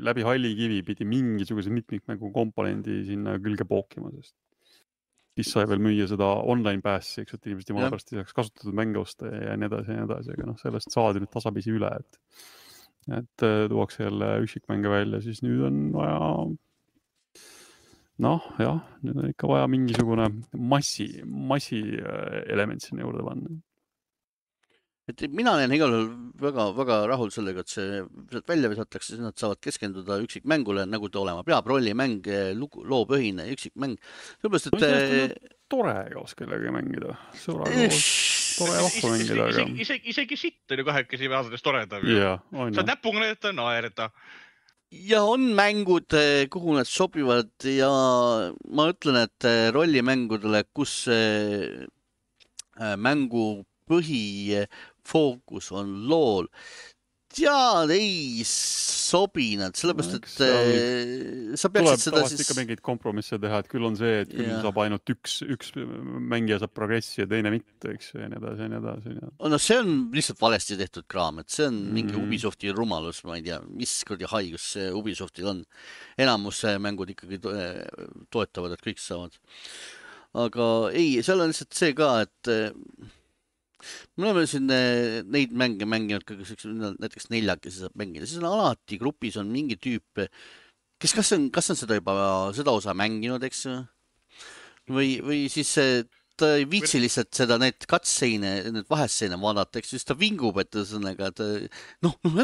[SPEAKER 2] läbi hallikivi pidi mingisuguse mitmikmängu komponendi sinna külge pookima, sest siis sai veel müüa seda online päässi, eks, et inimesed jumala pärast ei saaks kasutatud mänge osta ja nii edasi, aga sellest saadi nüüd tasapisi üle, et tuuakse jälle üksikmänge välja, siis nüüd on vaja nüüd on ikka vaja mingisugune massi element sinna juurde panna.
[SPEAKER 1] Et mina olen igal juhul väga, väga rahul sellega, et see välja visatakse, siis nad saavad keskenduda üksikmängule, nagu ta olema peab, rollimäng, loopõhine üksikmäng. Sellepärast, et...
[SPEAKER 2] Tore koos kellega mängida. Tore vahva mängida.
[SPEAKER 3] Isegi sitt on ju kahekesi vähasades toredam. Sa näpuga näidata, naerda.
[SPEAKER 1] Ja on mängud, kuhu nad sobivad ja ma ütlen, et rollimängudele, kus mängu põhifookus on lool, tead, ei sobi nad, sellepärast, et sa peaksid seda siis...
[SPEAKER 2] ikka mingid kompromisse teha, et küll on see, et küll saab ainult üks mängija saab progressi ja teine mitte, eks, ja nii edasi.
[SPEAKER 1] No see on lihtsalt valesti tehtud kraam, et see on mingi Ubisofti rumalus, ma ei tea, mis kuradi haigus see Ubisoftil on. Enamus mängud ikkagi toetavad, et kõik saavad. Aga ei, seal on lihtsalt see ka, et me oleme siin neid mänge mänginud, näiteks 4 saab mängida, siis on alati grupis on mingi tüüp, kes kas on seda juba seda osa mänginud, eks või siis ta ei viitsi lihtsalt seda need katseine, need vahesseine vaadata, eks siis ta vingub, et sõnaga, et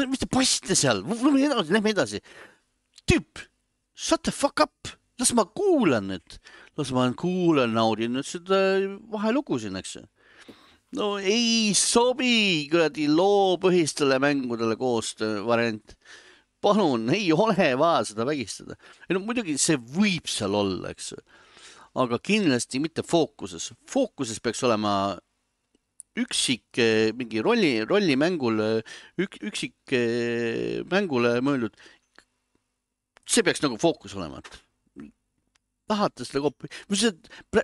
[SPEAKER 1] mis te passite seal, lähme edasi. Tüüp, shut the fuck up, las ma kuulan nüüd, naudin nüüd seda vahelugu siin, eks. No ei sobi kuradi loopõhistele mängudele koostöö variant. Palun, ei ole vaja seda vägistada. Muidugi see võib seal olla, eks. Aga kindlasti mitte fookuses. Fookuses peaks olema üksik mingi rollimängule, üksik mängule mõeldud, see peaks nagu fookus olema, et tahate seda koopi.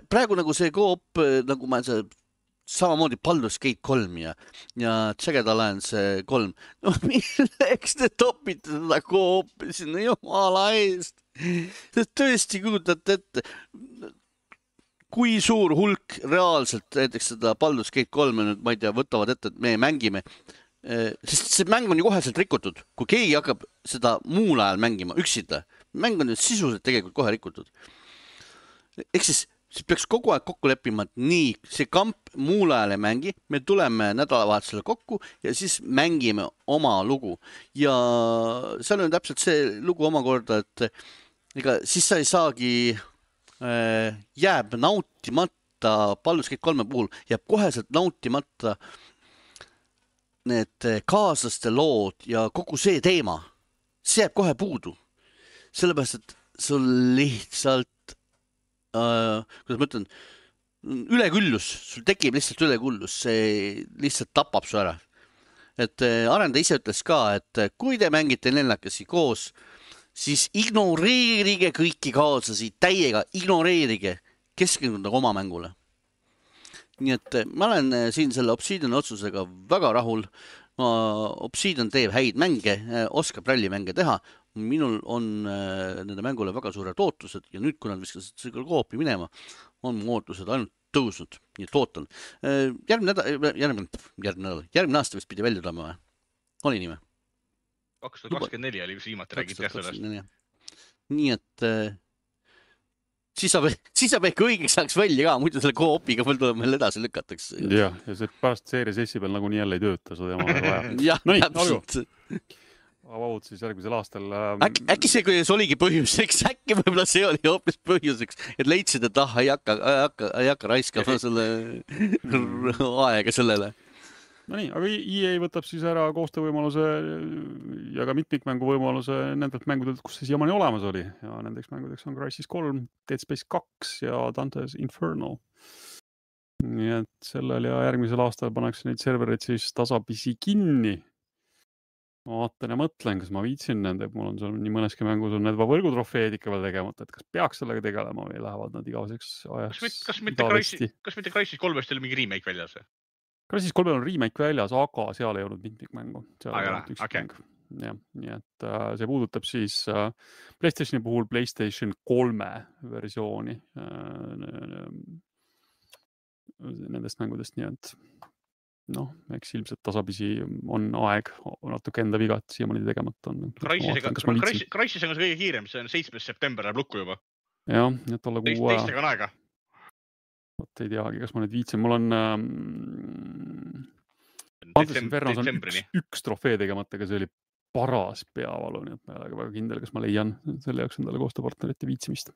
[SPEAKER 1] Praegu nagu see koop, nagu ma samamoodi Baldur's Gate 3 ja Jagged Alliance 3. No milleks te topite seda koopi sinna jumala eest? Tõesti kujutate ette, kui suur hulk reaalselt näiteks seda Baldur's Gate 3 nüüd, ma ei tea, võtavad ette, et me mängime. Sest see mäng on ju koheselt rikutud. Kui keegi hakkab seda muul ajal mängima, üksinda, mäng on ju sisuliselt tegelikult kohe rikutud. Ehk siis peaks kogu aeg kokku leppima, et nii, see kamp muul ajal ei mängi, me tuleme nädalavahetusele kokku ja siis mängime oma lugu. Ja seal on täpselt see lugu omakorda, et ega siis sa ei saagi, jääb nautimata, Baldur's Gate 3 puhul jääb koheselt nautimata need kaaslaste lood ja kogu see teema. See jääb kohe puudu. Sellepärast, et sul lihtsalt kuidas ma ütlen, üleküllus, sul tekib lihtsalt üleküllus, see lihtsalt tapab su ära. Et arendaja ise ütles ka, et kui te mängite neljakesi koos, siis ignoreerige kõiki kaaslasi, täiega ignoreerige, keskenduda oma mängule. Nii et ma olen siin selle Obsidian otsusega väga rahul. Obsidian teeb häid mänge, oskab rallimänge teha. Minul on nende mängule väga suured ootused ja nüüd, kui nad viskasid seda koopi minema, on mu ootused ainult tõusnud. Nii et ootan. Järgmine aasta vist pidi välja tulema või? Oli nii või?
[SPEAKER 3] 2024 oli viimati räägid jah sellest.
[SPEAKER 1] Nii et siis saab ehk õigeks saaks välja ka, muidu selle koopiga veel tuleb meil edasi lükatakse.
[SPEAKER 2] Ja see pärast Series S peal nagunii jälle ei tööta, seda jama vaja.
[SPEAKER 1] Jah, täpselt.
[SPEAKER 2] Avavud siis järgmisel aastal.
[SPEAKER 1] Äkki see, kui see oligi põhjuseks, äkki võib-olla see oli hoopis põhjuseks, et leidsid, et ei hakka raiskama selle aega sellele.
[SPEAKER 2] No nii, aga EA võtab siis ära koostöövõimaluse ja ka mitmikmängu võimaluse nendelt mängudelt, kus see siiamaani olemas oli. Ja nendeks mängudeks on Crysis 3, Dead Space 2 ja Dante's Inferno. Nii et sellel ja järgmisel aastal pannakse neid servereid siis tasapisi kinni. Ma vaatan ja mõtlen, kas ma viitsin nende, mul on seal nii mõneski mängus on need võrgutrofeed ikka veel tegemata, et kas peaks sellega tegelema või lähevad nad igaveseks ajaks.
[SPEAKER 3] Kas mitte Crysis 3 oli mingi remake väljas?
[SPEAKER 2] Crysis 3 on remake väljas, aga seal ei olnud mitmikmängu.
[SPEAKER 3] Okay.
[SPEAKER 2] Ja, nii et see puudutab siis PlayStationi puhul PlayStation 3 versiooni nendest mängudest, nii et eks ilmselt tasapisi on aeg natuke enda viga, et siiamaani tegemata on.
[SPEAKER 3] Crysis on kõige kiirem, see on 7. september läheb lukku juba.
[SPEAKER 2] Jah, et olla kuu aja.
[SPEAKER 3] Teistega on aega.
[SPEAKER 2] Vot ei teagi, kas ma nüüd viitsin. Mul on Dante's Infernos on üks trofee tegemata, aga see oli paras peavalu, nii et ma ei ole väga kindel, kas ma leian selle jaoks endale koostööpartnerite viitsimist.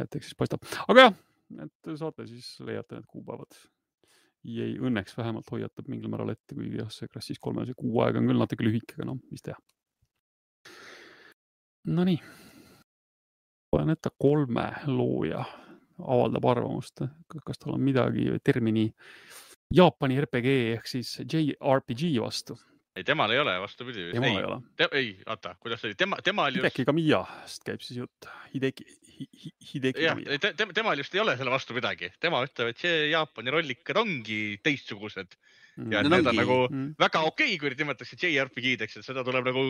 [SPEAKER 2] Et eks siis paistab. Aga jah, et saate siis leiate need kuupäevad. EA õnneks vähemalt hoiatab mingil määral ette, kuigi jah, see Crysis 3 see kuu aega on küll natuke lühike, aga mis teha. No nii. Olen ette 3 looja avaldab arvamust, kas tal on midagi termini Jaapani RPG ehk siis JRPG vastu.
[SPEAKER 3] Ei, temal ei ole, vastupidi.
[SPEAKER 2] Temal ei ole.
[SPEAKER 3] Ei, vaata, kuidas oli? Temal just...
[SPEAKER 2] Hideki Kamiyast käib siis jutt. Hideki
[SPEAKER 3] Kamiya. Temal just ei ole selle vastu midagi. Tema ütleb, et see Jaapani rollikad ongi teistsugused. Ja need on nagu väga okei, kui nimetakse JRPG-deks, et seda tuleb nagu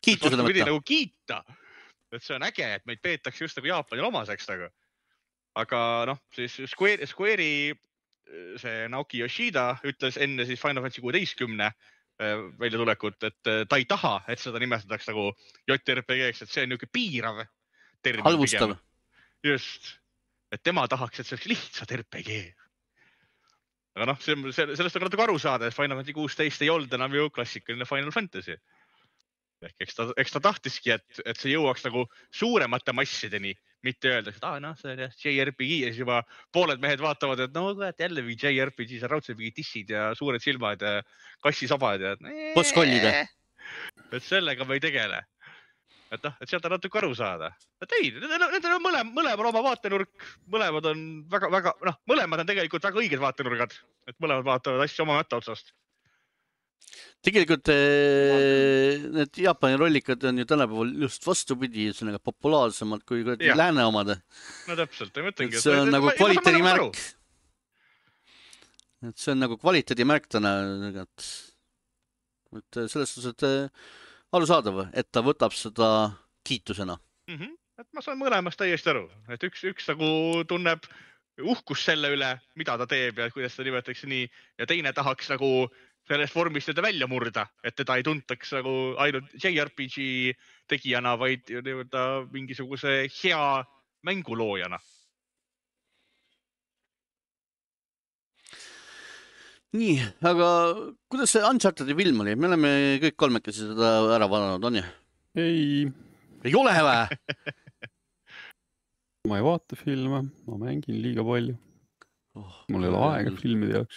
[SPEAKER 3] nagu kiita. Et see on äge, et meid peetakse just nagu Jaapanil omaseks nagu. Aga siis Square'i see Naoki Yoshida ütles enne siis Final Fantasy 16 välja tulekut, et ta ei taha, et seda nimestataks nagu JRPG-ks, et see on niuke piirav termin.
[SPEAKER 1] Halvustav.
[SPEAKER 3] Just. Et tema tahaks, et see oleks lihtsalt RPG. Aga sellest on natuke aru saada, et Final Fantasy 16 ei olnud enam ju klassikaline Final Fantasy. Eks ta tahtiski, et see jõuaks nagu suuremate massideni, mitte öelda, et see on JRPG ja siis juba pooled mehed vaatavad, et jälle või JRPG, see raudselt mingi tissid ja suured silmad ja kassisabad ja
[SPEAKER 1] Postkollide.
[SPEAKER 3] Et sellega me ei tegele. et sealt on natuke aru saada. Et ei, nendel on mõlemal oma vaatenurk, mõlemad on väga, mõlemad on tegelikult väga õiged vaatenurgad, et mõlemad vaatavad asju oma mätta otsast.
[SPEAKER 1] Tegelikult need Jaapani rollikad on ju tänapäeval just vastupidi, ühesõnaga populaarsemad kui lääne omad.
[SPEAKER 3] No täpselt, ma mõtlengi.
[SPEAKER 1] See on nagu kvaliteedimärk. Et see on nagu kvaliteedimärk täna. Et selles suhtes, et arusaadav, et ta võtab seda kiitusena.
[SPEAKER 3] Et ma saan mõlemast täiesti aru, et üks nagu tunneb uhkust selle üle, mida ta teeb ja kuidas ta nimetatakse nii, ja teine tahaks nagu sellest vormist teda välja murda, et teda ei tuntaks nagu ainult JRPG tegijana, vaid mingisuguse hea mänguloojana.
[SPEAKER 1] Nii, aga kuidas see Unchartedi film oli? Me oleme kõik kolmekesi seda ära vaadanud, on ju? Ei ole või?
[SPEAKER 2] Ma ei vaata filme, ma mängin liiga palju. Mul ei ole aega filmide jaoks,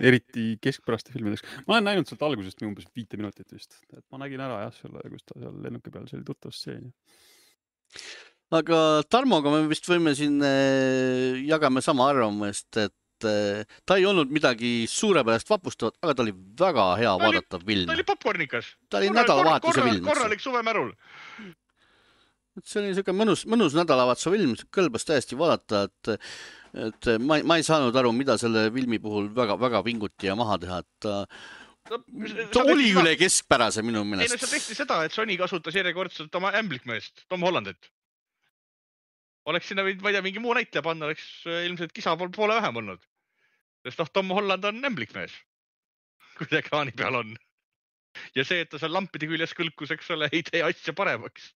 [SPEAKER 2] eriti keskpäraste filmideks. Ma olen näinud sealt algusest umbes 5 minutit vist. Et ma nägin ära selle, kus ta seal lennuki peal, see oli tuttav stseen.
[SPEAKER 1] Aga Tarmoga me vist võime siin jagame sama arvamust, et ta ei olnud midagi suurepärast vapustavat, aga ta oli väga hea vaadatav film.
[SPEAKER 3] Ta oli popcornikas.
[SPEAKER 1] Ta oli nädalavahetuse film.
[SPEAKER 3] Korralik suvemärul.
[SPEAKER 1] See oli selline mõnus nädalavahetuse film, kõlbas täiesti vaadata, et ma ei saanud aru, mida selle filmi puhul väga pinguti ja maha teha, et ta oli üle keskpärase minu meelest.
[SPEAKER 3] Ei, no sa tehti seda, et Sony kasutas järjekordselt oma ämblikmeest, Tom Hollandit. Oleks sinna võinud, ma ei tea, mingi muu näitleja panna, oleks ilmselt kisa poole vähem olnud. Sest Tom Holland on ämblikmees, kui ta ekraani peal on. Ja see, et ta seal lampide küljes kõlkus, eks ole, ei tee asja paremaks.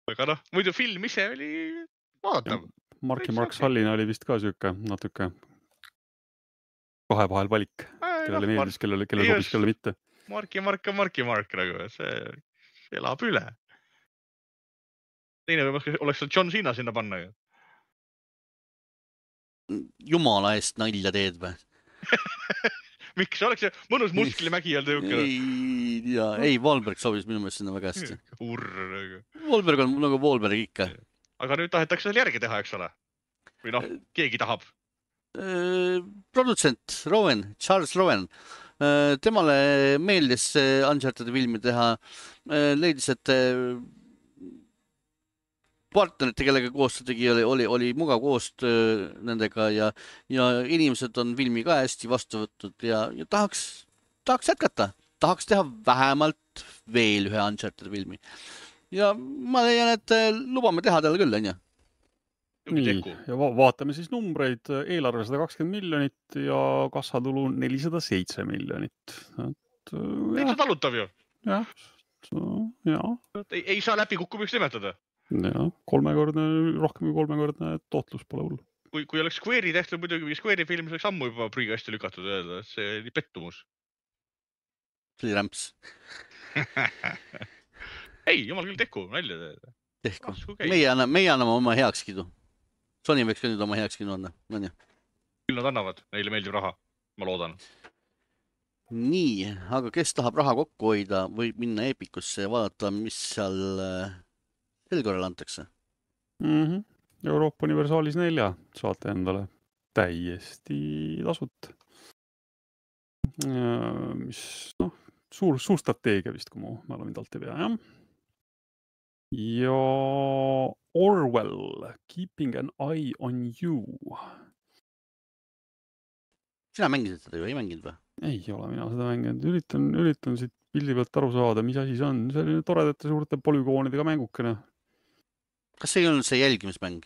[SPEAKER 3] Aga muidu film ise oli vaadatav.
[SPEAKER 2] Mark ja Mark Sallina oli vist ka siuke natuke kahevahel valik, kellele meeldis, kellele sobis, kellele mitte.
[SPEAKER 3] Mark ja Mark, nagu see elab üle. Teine oleks John Cena sinna panna ju.
[SPEAKER 1] Jumala eest nalja teed või?
[SPEAKER 3] Miks? Oleks see mõnus musklimägi olnud jõukene?
[SPEAKER 1] Ei, Wahlberg sobis minu meelest sinna väga hästi.
[SPEAKER 3] Urr.
[SPEAKER 1] Wahlberg on nagu Wahlberg ikka.
[SPEAKER 3] Aga nüüd tahetakse seal järgi teha, eks ole? Või keegi tahab?
[SPEAKER 1] Produtsent Charles Rowan. Temale meeldis Unchartedi filmi teha. Leidis, et partnerite, kellega koostöö tegi, oli mugav koostöö nendega ja inimesed on filmi ka hästi vastu võtnud ja tahaks jätkata. Tahaks teha vähemalt veel ühe Unchartedi filmi. Ja ma leian, et lubame teha talle küll, on ju?
[SPEAKER 2] Nii, ja vaatame siis numbreid. Eelarve 120 miljonit ja kassatulu 407 miljonit.
[SPEAKER 3] Täitsa talutav ju.
[SPEAKER 2] Jah.
[SPEAKER 3] Ei saa läbikukkumiseks nimetada.
[SPEAKER 2] Ja, rohkem kui kolmekordne tootlus pole hull.
[SPEAKER 3] Kui oleks Square'i tehtud muidugi, Square'i film oleks ammu juba prügikasti lükatud öelda, et see oli pettumus.
[SPEAKER 1] See oli rämps.
[SPEAKER 3] Ei, jumal küll tehku, nalja teed.
[SPEAKER 1] Tehku. Meie anname oma heakskidu. Sony võiks ka nüüd oma heakskidu anda.
[SPEAKER 3] Küll nad annavad, neile meeldib raha, ma loodan.
[SPEAKER 1] Nii, aga kes tahab raha kokku hoida, võib minna Epikusse ja vaadata, mis seal sel korral antakse.
[SPEAKER 2] Euroopa Universaalis 4 saate endale täiesti tasut. Mis, suur strateegia vist, kui mu mälu mind alt ei pea, jah. Ja Orwell, Keeping an Eye on You.
[SPEAKER 1] Sina mängisid seda ju, ei mänginud või?
[SPEAKER 2] Ei ole mina seda mänginud. Üritan siit pildi pealt aru saada, mis asi see on. See oli toredate suurte polügoonidega mängukene.
[SPEAKER 1] Kas see ei olnud see jälgimismäng?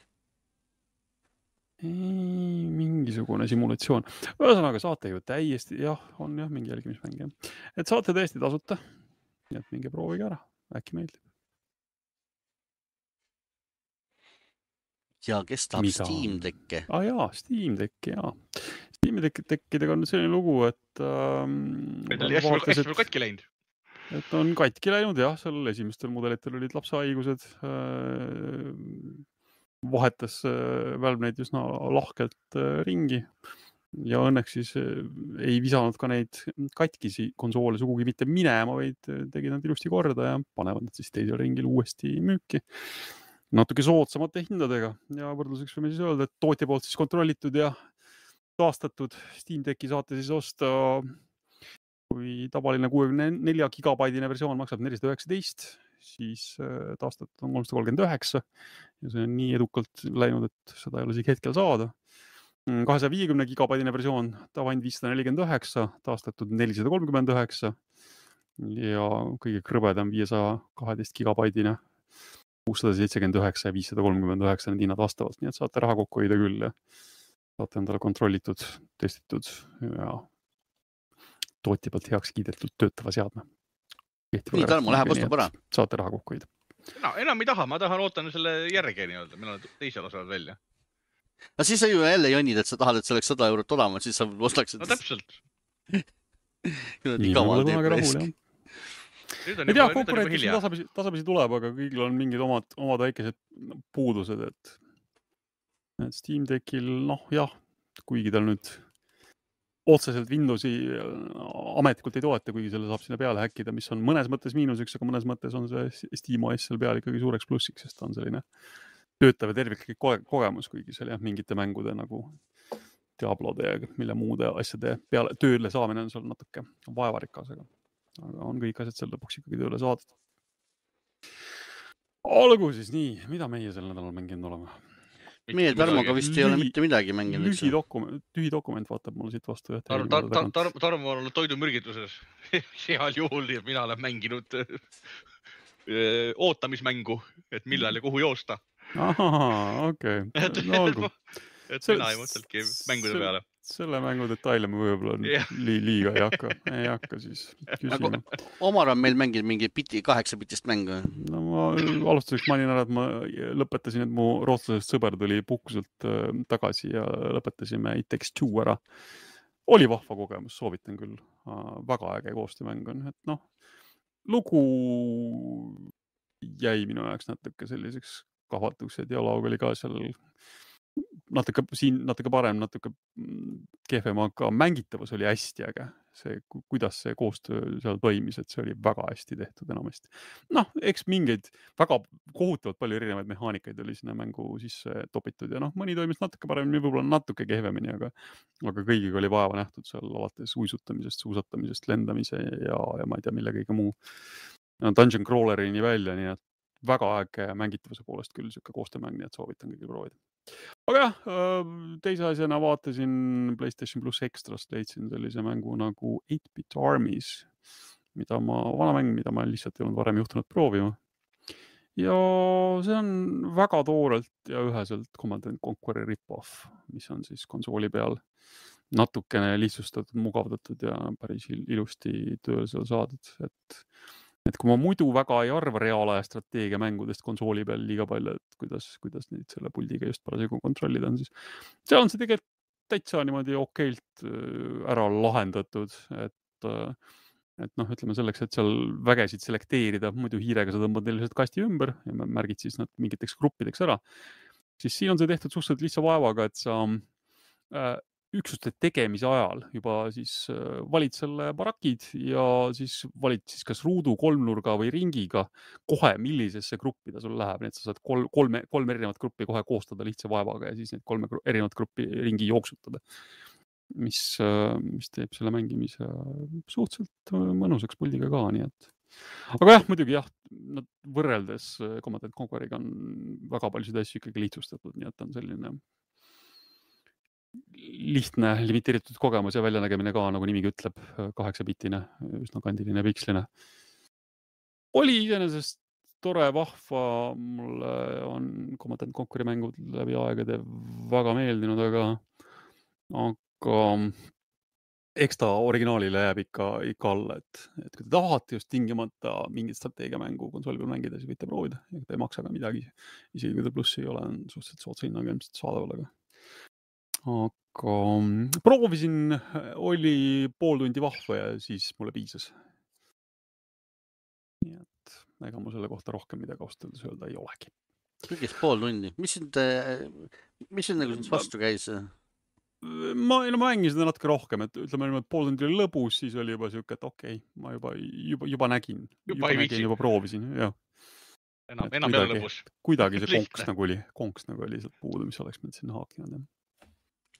[SPEAKER 2] Ei, mingisugune simulatsioon. Ühesõnaga saate ju täiesti, on mingi jälgimismäng. Et saate täiesti tasuta. Nii et minge proovige ära. Äkki meeldib.
[SPEAKER 1] Ja kes tahab Steam Decki?
[SPEAKER 2] Steam Decki, Steam Deckidega on selline lugu, et
[SPEAKER 3] hästi katki läinud.
[SPEAKER 2] Et on katki läinud, seal esimestel mudelitel olid lapsehaigused. Vahetas Valve neid üsna lahkelt ringi. ja õnneks siis ei visanud ka neid katkisi konsoole sugugi mitte minema, vaid tegid nad ilusti korda ja panevad nad siis teisel ringil uuesti müüki natuke soodsamate hindadega ja võrdluseks võime siis öelda, et tootja poolt siis kontrollitud ja taastatud Steam Decki saate siis osta, kui tavaline 64 gigabaidine versioon maksab 419, siis taastatud on 339 ja see on nii edukalt läinud, et seda ei ole isegi hetkel saada. 250 gigabaidine versioon tavaind 549, taastatud 439 ja kõige krõbedam 512 gigabaidine 679 ja 539 need hinnad vastavalt, nii et saate raha kokku hoida küll ja saate endale kontrollitud, testitud ja tootja pealt heaks kiidetud töötava seadme.
[SPEAKER 1] Nii, Tarmo, läheb ostab ära.
[SPEAKER 2] Saate raha kokku hoida.
[SPEAKER 3] Enam ei taha, ma tahan ootan selle järge nii-öelda, meil on teisel osal välja.
[SPEAKER 1] No siis sa ju jälle jonnid, et sa tahad, et see oleks 100 eurot odavamalt, siis sa ostaksid.
[SPEAKER 3] No täpselt.
[SPEAKER 2] Nii on kunagi rahul, jah. Ei tea, konkurentsi tasapisi tuleb, aga kõigil on mingid omad väikesed puudused, et Steam Deckil, jah, kuigi tal nüüd otseselt Windowsi ametlikult ei toeta, kuigi selle saab sinna peale häkkida, mis on mõnes mõttes miinuseks, aga mõnes mõttes on see SteamOS seal peal ikkagi suureks plussiks, sest ta on selline töötav ja terviklik kogemus, kuigi seal mingite mängude nagu Diablode ja mille muude asjade peale tööle saamine on seal natuke vaevarikas, aga on kõik asjad seal lõpuks ikkagi tööle saadud. Olgu siis nii, mida meie sel nädalal mänginud oleme?
[SPEAKER 1] Meie Tarmoga vist ei ole mitte midagi mänginud.
[SPEAKER 2] Tühi dokument vaatab mulle siit vastu.
[SPEAKER 3] Tarmo on olnud toidumürgituses. Heal juhul mina olen mänginud ootamismängu, et millal ja kuhu joosta.
[SPEAKER 2] Ahaa, okei. No olgu.
[SPEAKER 3] Et mina ei mõteltki mängude peale.
[SPEAKER 2] Selle mängu detaile me võib-olla liiga ei hakka siis küsima.
[SPEAKER 1] Omar on meil mänginud mingi 8-bitist mängu.
[SPEAKER 2] No ma alustuseks mainin ära, et ma lõpetasin, et mu rootslasest sõber tuli puhkuselt tagasi ja lõpetasime It Takes Two ära. Oli vahva kogemus, soovitan küll. Väga äge koostöömäng on. Et lugu jäi minu jaoks natuke selliseks kahvatuks ja dialoog oli ka seal natuke parem, natuke kehvem, aga mängitavus oli hästi äge. See, kuidas see koostöö seal toimis, et see oli väga hästi tehtud enamasti. Eks mingeid väga kohutavalt palju erinevaid mehaanikaid oli sinna mängu sisse topitud ja mõni toimis natuke paremini, võib-olla natuke kehvemini, aga kõigiga oli vaeva nähtud seal alates uisutamisest, suusatamisest, lendamise ja ma ei tea, mille kõige muu dungeon crawlerini välja, nii et väga äge mängitavuse poolest küll siuke koostöömäng, nii et soovitan kõigil proovida. Aga teise asjana vaatasin PlayStation Plus Extrast, leidsin sellise mängu nagu 8-Bit Armies, vana mäng, mida ma lihtsalt ei olnud varem juhtunud proovima. Ja see on väga toorelt ja üheselt Command & Conqueri rip-off, mis on siis konsooli peal natukene lihtsustatud, mugavdatud ja päris ilusti tööl seal saadud, et kui ma muidu väga ei arva reaalaja strateegia mängudest konsooli peal liiga palju, et kuidas neid selle puldiga just parasjagu kontrollida on, siis seal on see tegelikult täitsa niimoodi okeilt ära lahendatud, et ütleme selleks, et seal vägesid selekteerida, muidu hiirega sa tõmbad lihtsalt kasti ümber ja märgid siis nad mingiteks gruppideks ära, siis siin on see tehtud suhteliselt lihtsa vaevaga, et sa üksuste tegemise ajal juba siis valid selle barakid ja siis valid siis kas ruudu, kolmnurga või ringiga kohe, millisesse gruppi ta sul läheb. Nii et sa saad kolme erinevat gruppi kohe koostada lihtsa vaevaga ja siis need 3 erinevat gruppi ringi jooksutada, mis teeb selle mängimise suhteliselt mõnusaks puldiga ka, nii et. Aga muidugi võrreldes Command & Conqueriga on väga paljusid asju ikkagi lihtsustatud, nii et on selline lihtne, limiteeritud kogemus ja väljanägemine ka, nagu nimigi ütleb, 8-bitine, üsna kandiline piksline. Oli iseenesest tore, vahva, mulle on Command & Conqueri mängud läbi aegade väga meeldinud, aga eks ta originaalile jääb ikka alla, et kui te tahate just tingimata mingit strateegiamängu konsooli peal mängida, siis võite proovida, ta ei maksa ka midagi, isegi kui ta plussi ei ole, on suhteliselt soodsa hinnaga ilmselt saadaval, aga proovisin, oli pool tundi vahva ja siis mulle piisas. Nii et ega mul selle kohta rohkem midagi austaldes öelda ei olegi.
[SPEAKER 1] Kõigest pool tundi. Mis sind nagu vastu käis?
[SPEAKER 2] ma mängin seda natuke rohkem, et ütleme, pool tundi oli lõbus, siis oli juba siuke, et okei, ma juba nägin, juba proovisin, jah.
[SPEAKER 3] Enam ei ole lõbus.
[SPEAKER 2] Kuidagi see konks nagu oli sealt puudu, mis oleks mind sinna haakinud.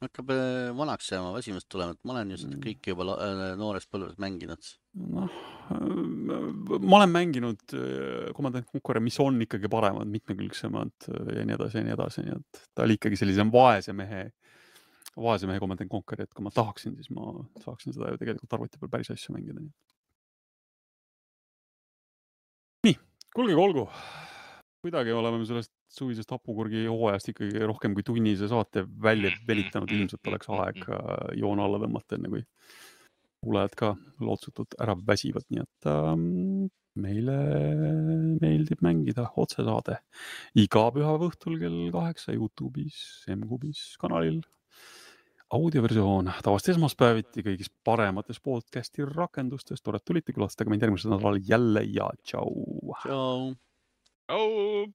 [SPEAKER 1] Hakkab vanaks jääma, väsimust tulema, et ma olen ju seda kõike juba noores põlves mänginud.
[SPEAKER 2] Noh, ma olen mänginud Command & Conquer, mis on ikkagi paremad, mitmekülgsemad ja nii edasi, nii et ta oli ikkagi sellise vaese mehe Command & Conquer, et kui ma tahaksin, siis ma saaksin seda ju tegelikult arvuti peal päris asju mängida. Nii, olgu. Kuidagi oleme sellest suvisest hapukurgi hooajast ikkagi rohkem kui tunnise saate välja venitanud. Ilmselt oleks aeg joon alla tõmmata, enne kui kuulajad ka lootsutult ära väsivad. Nii et meile meeldib mängida otsesaade iga pühapäeva õhtul kell 8 YouTube'is, M-Kubis kanalil. Audioversioon tavast esmaspäeviti kõigis paremates podcasti rakendustes. Tore, tulite, külastage meid järgmisel nädalal jälle ja tšau.
[SPEAKER 1] Tšau.
[SPEAKER 3] Tšau.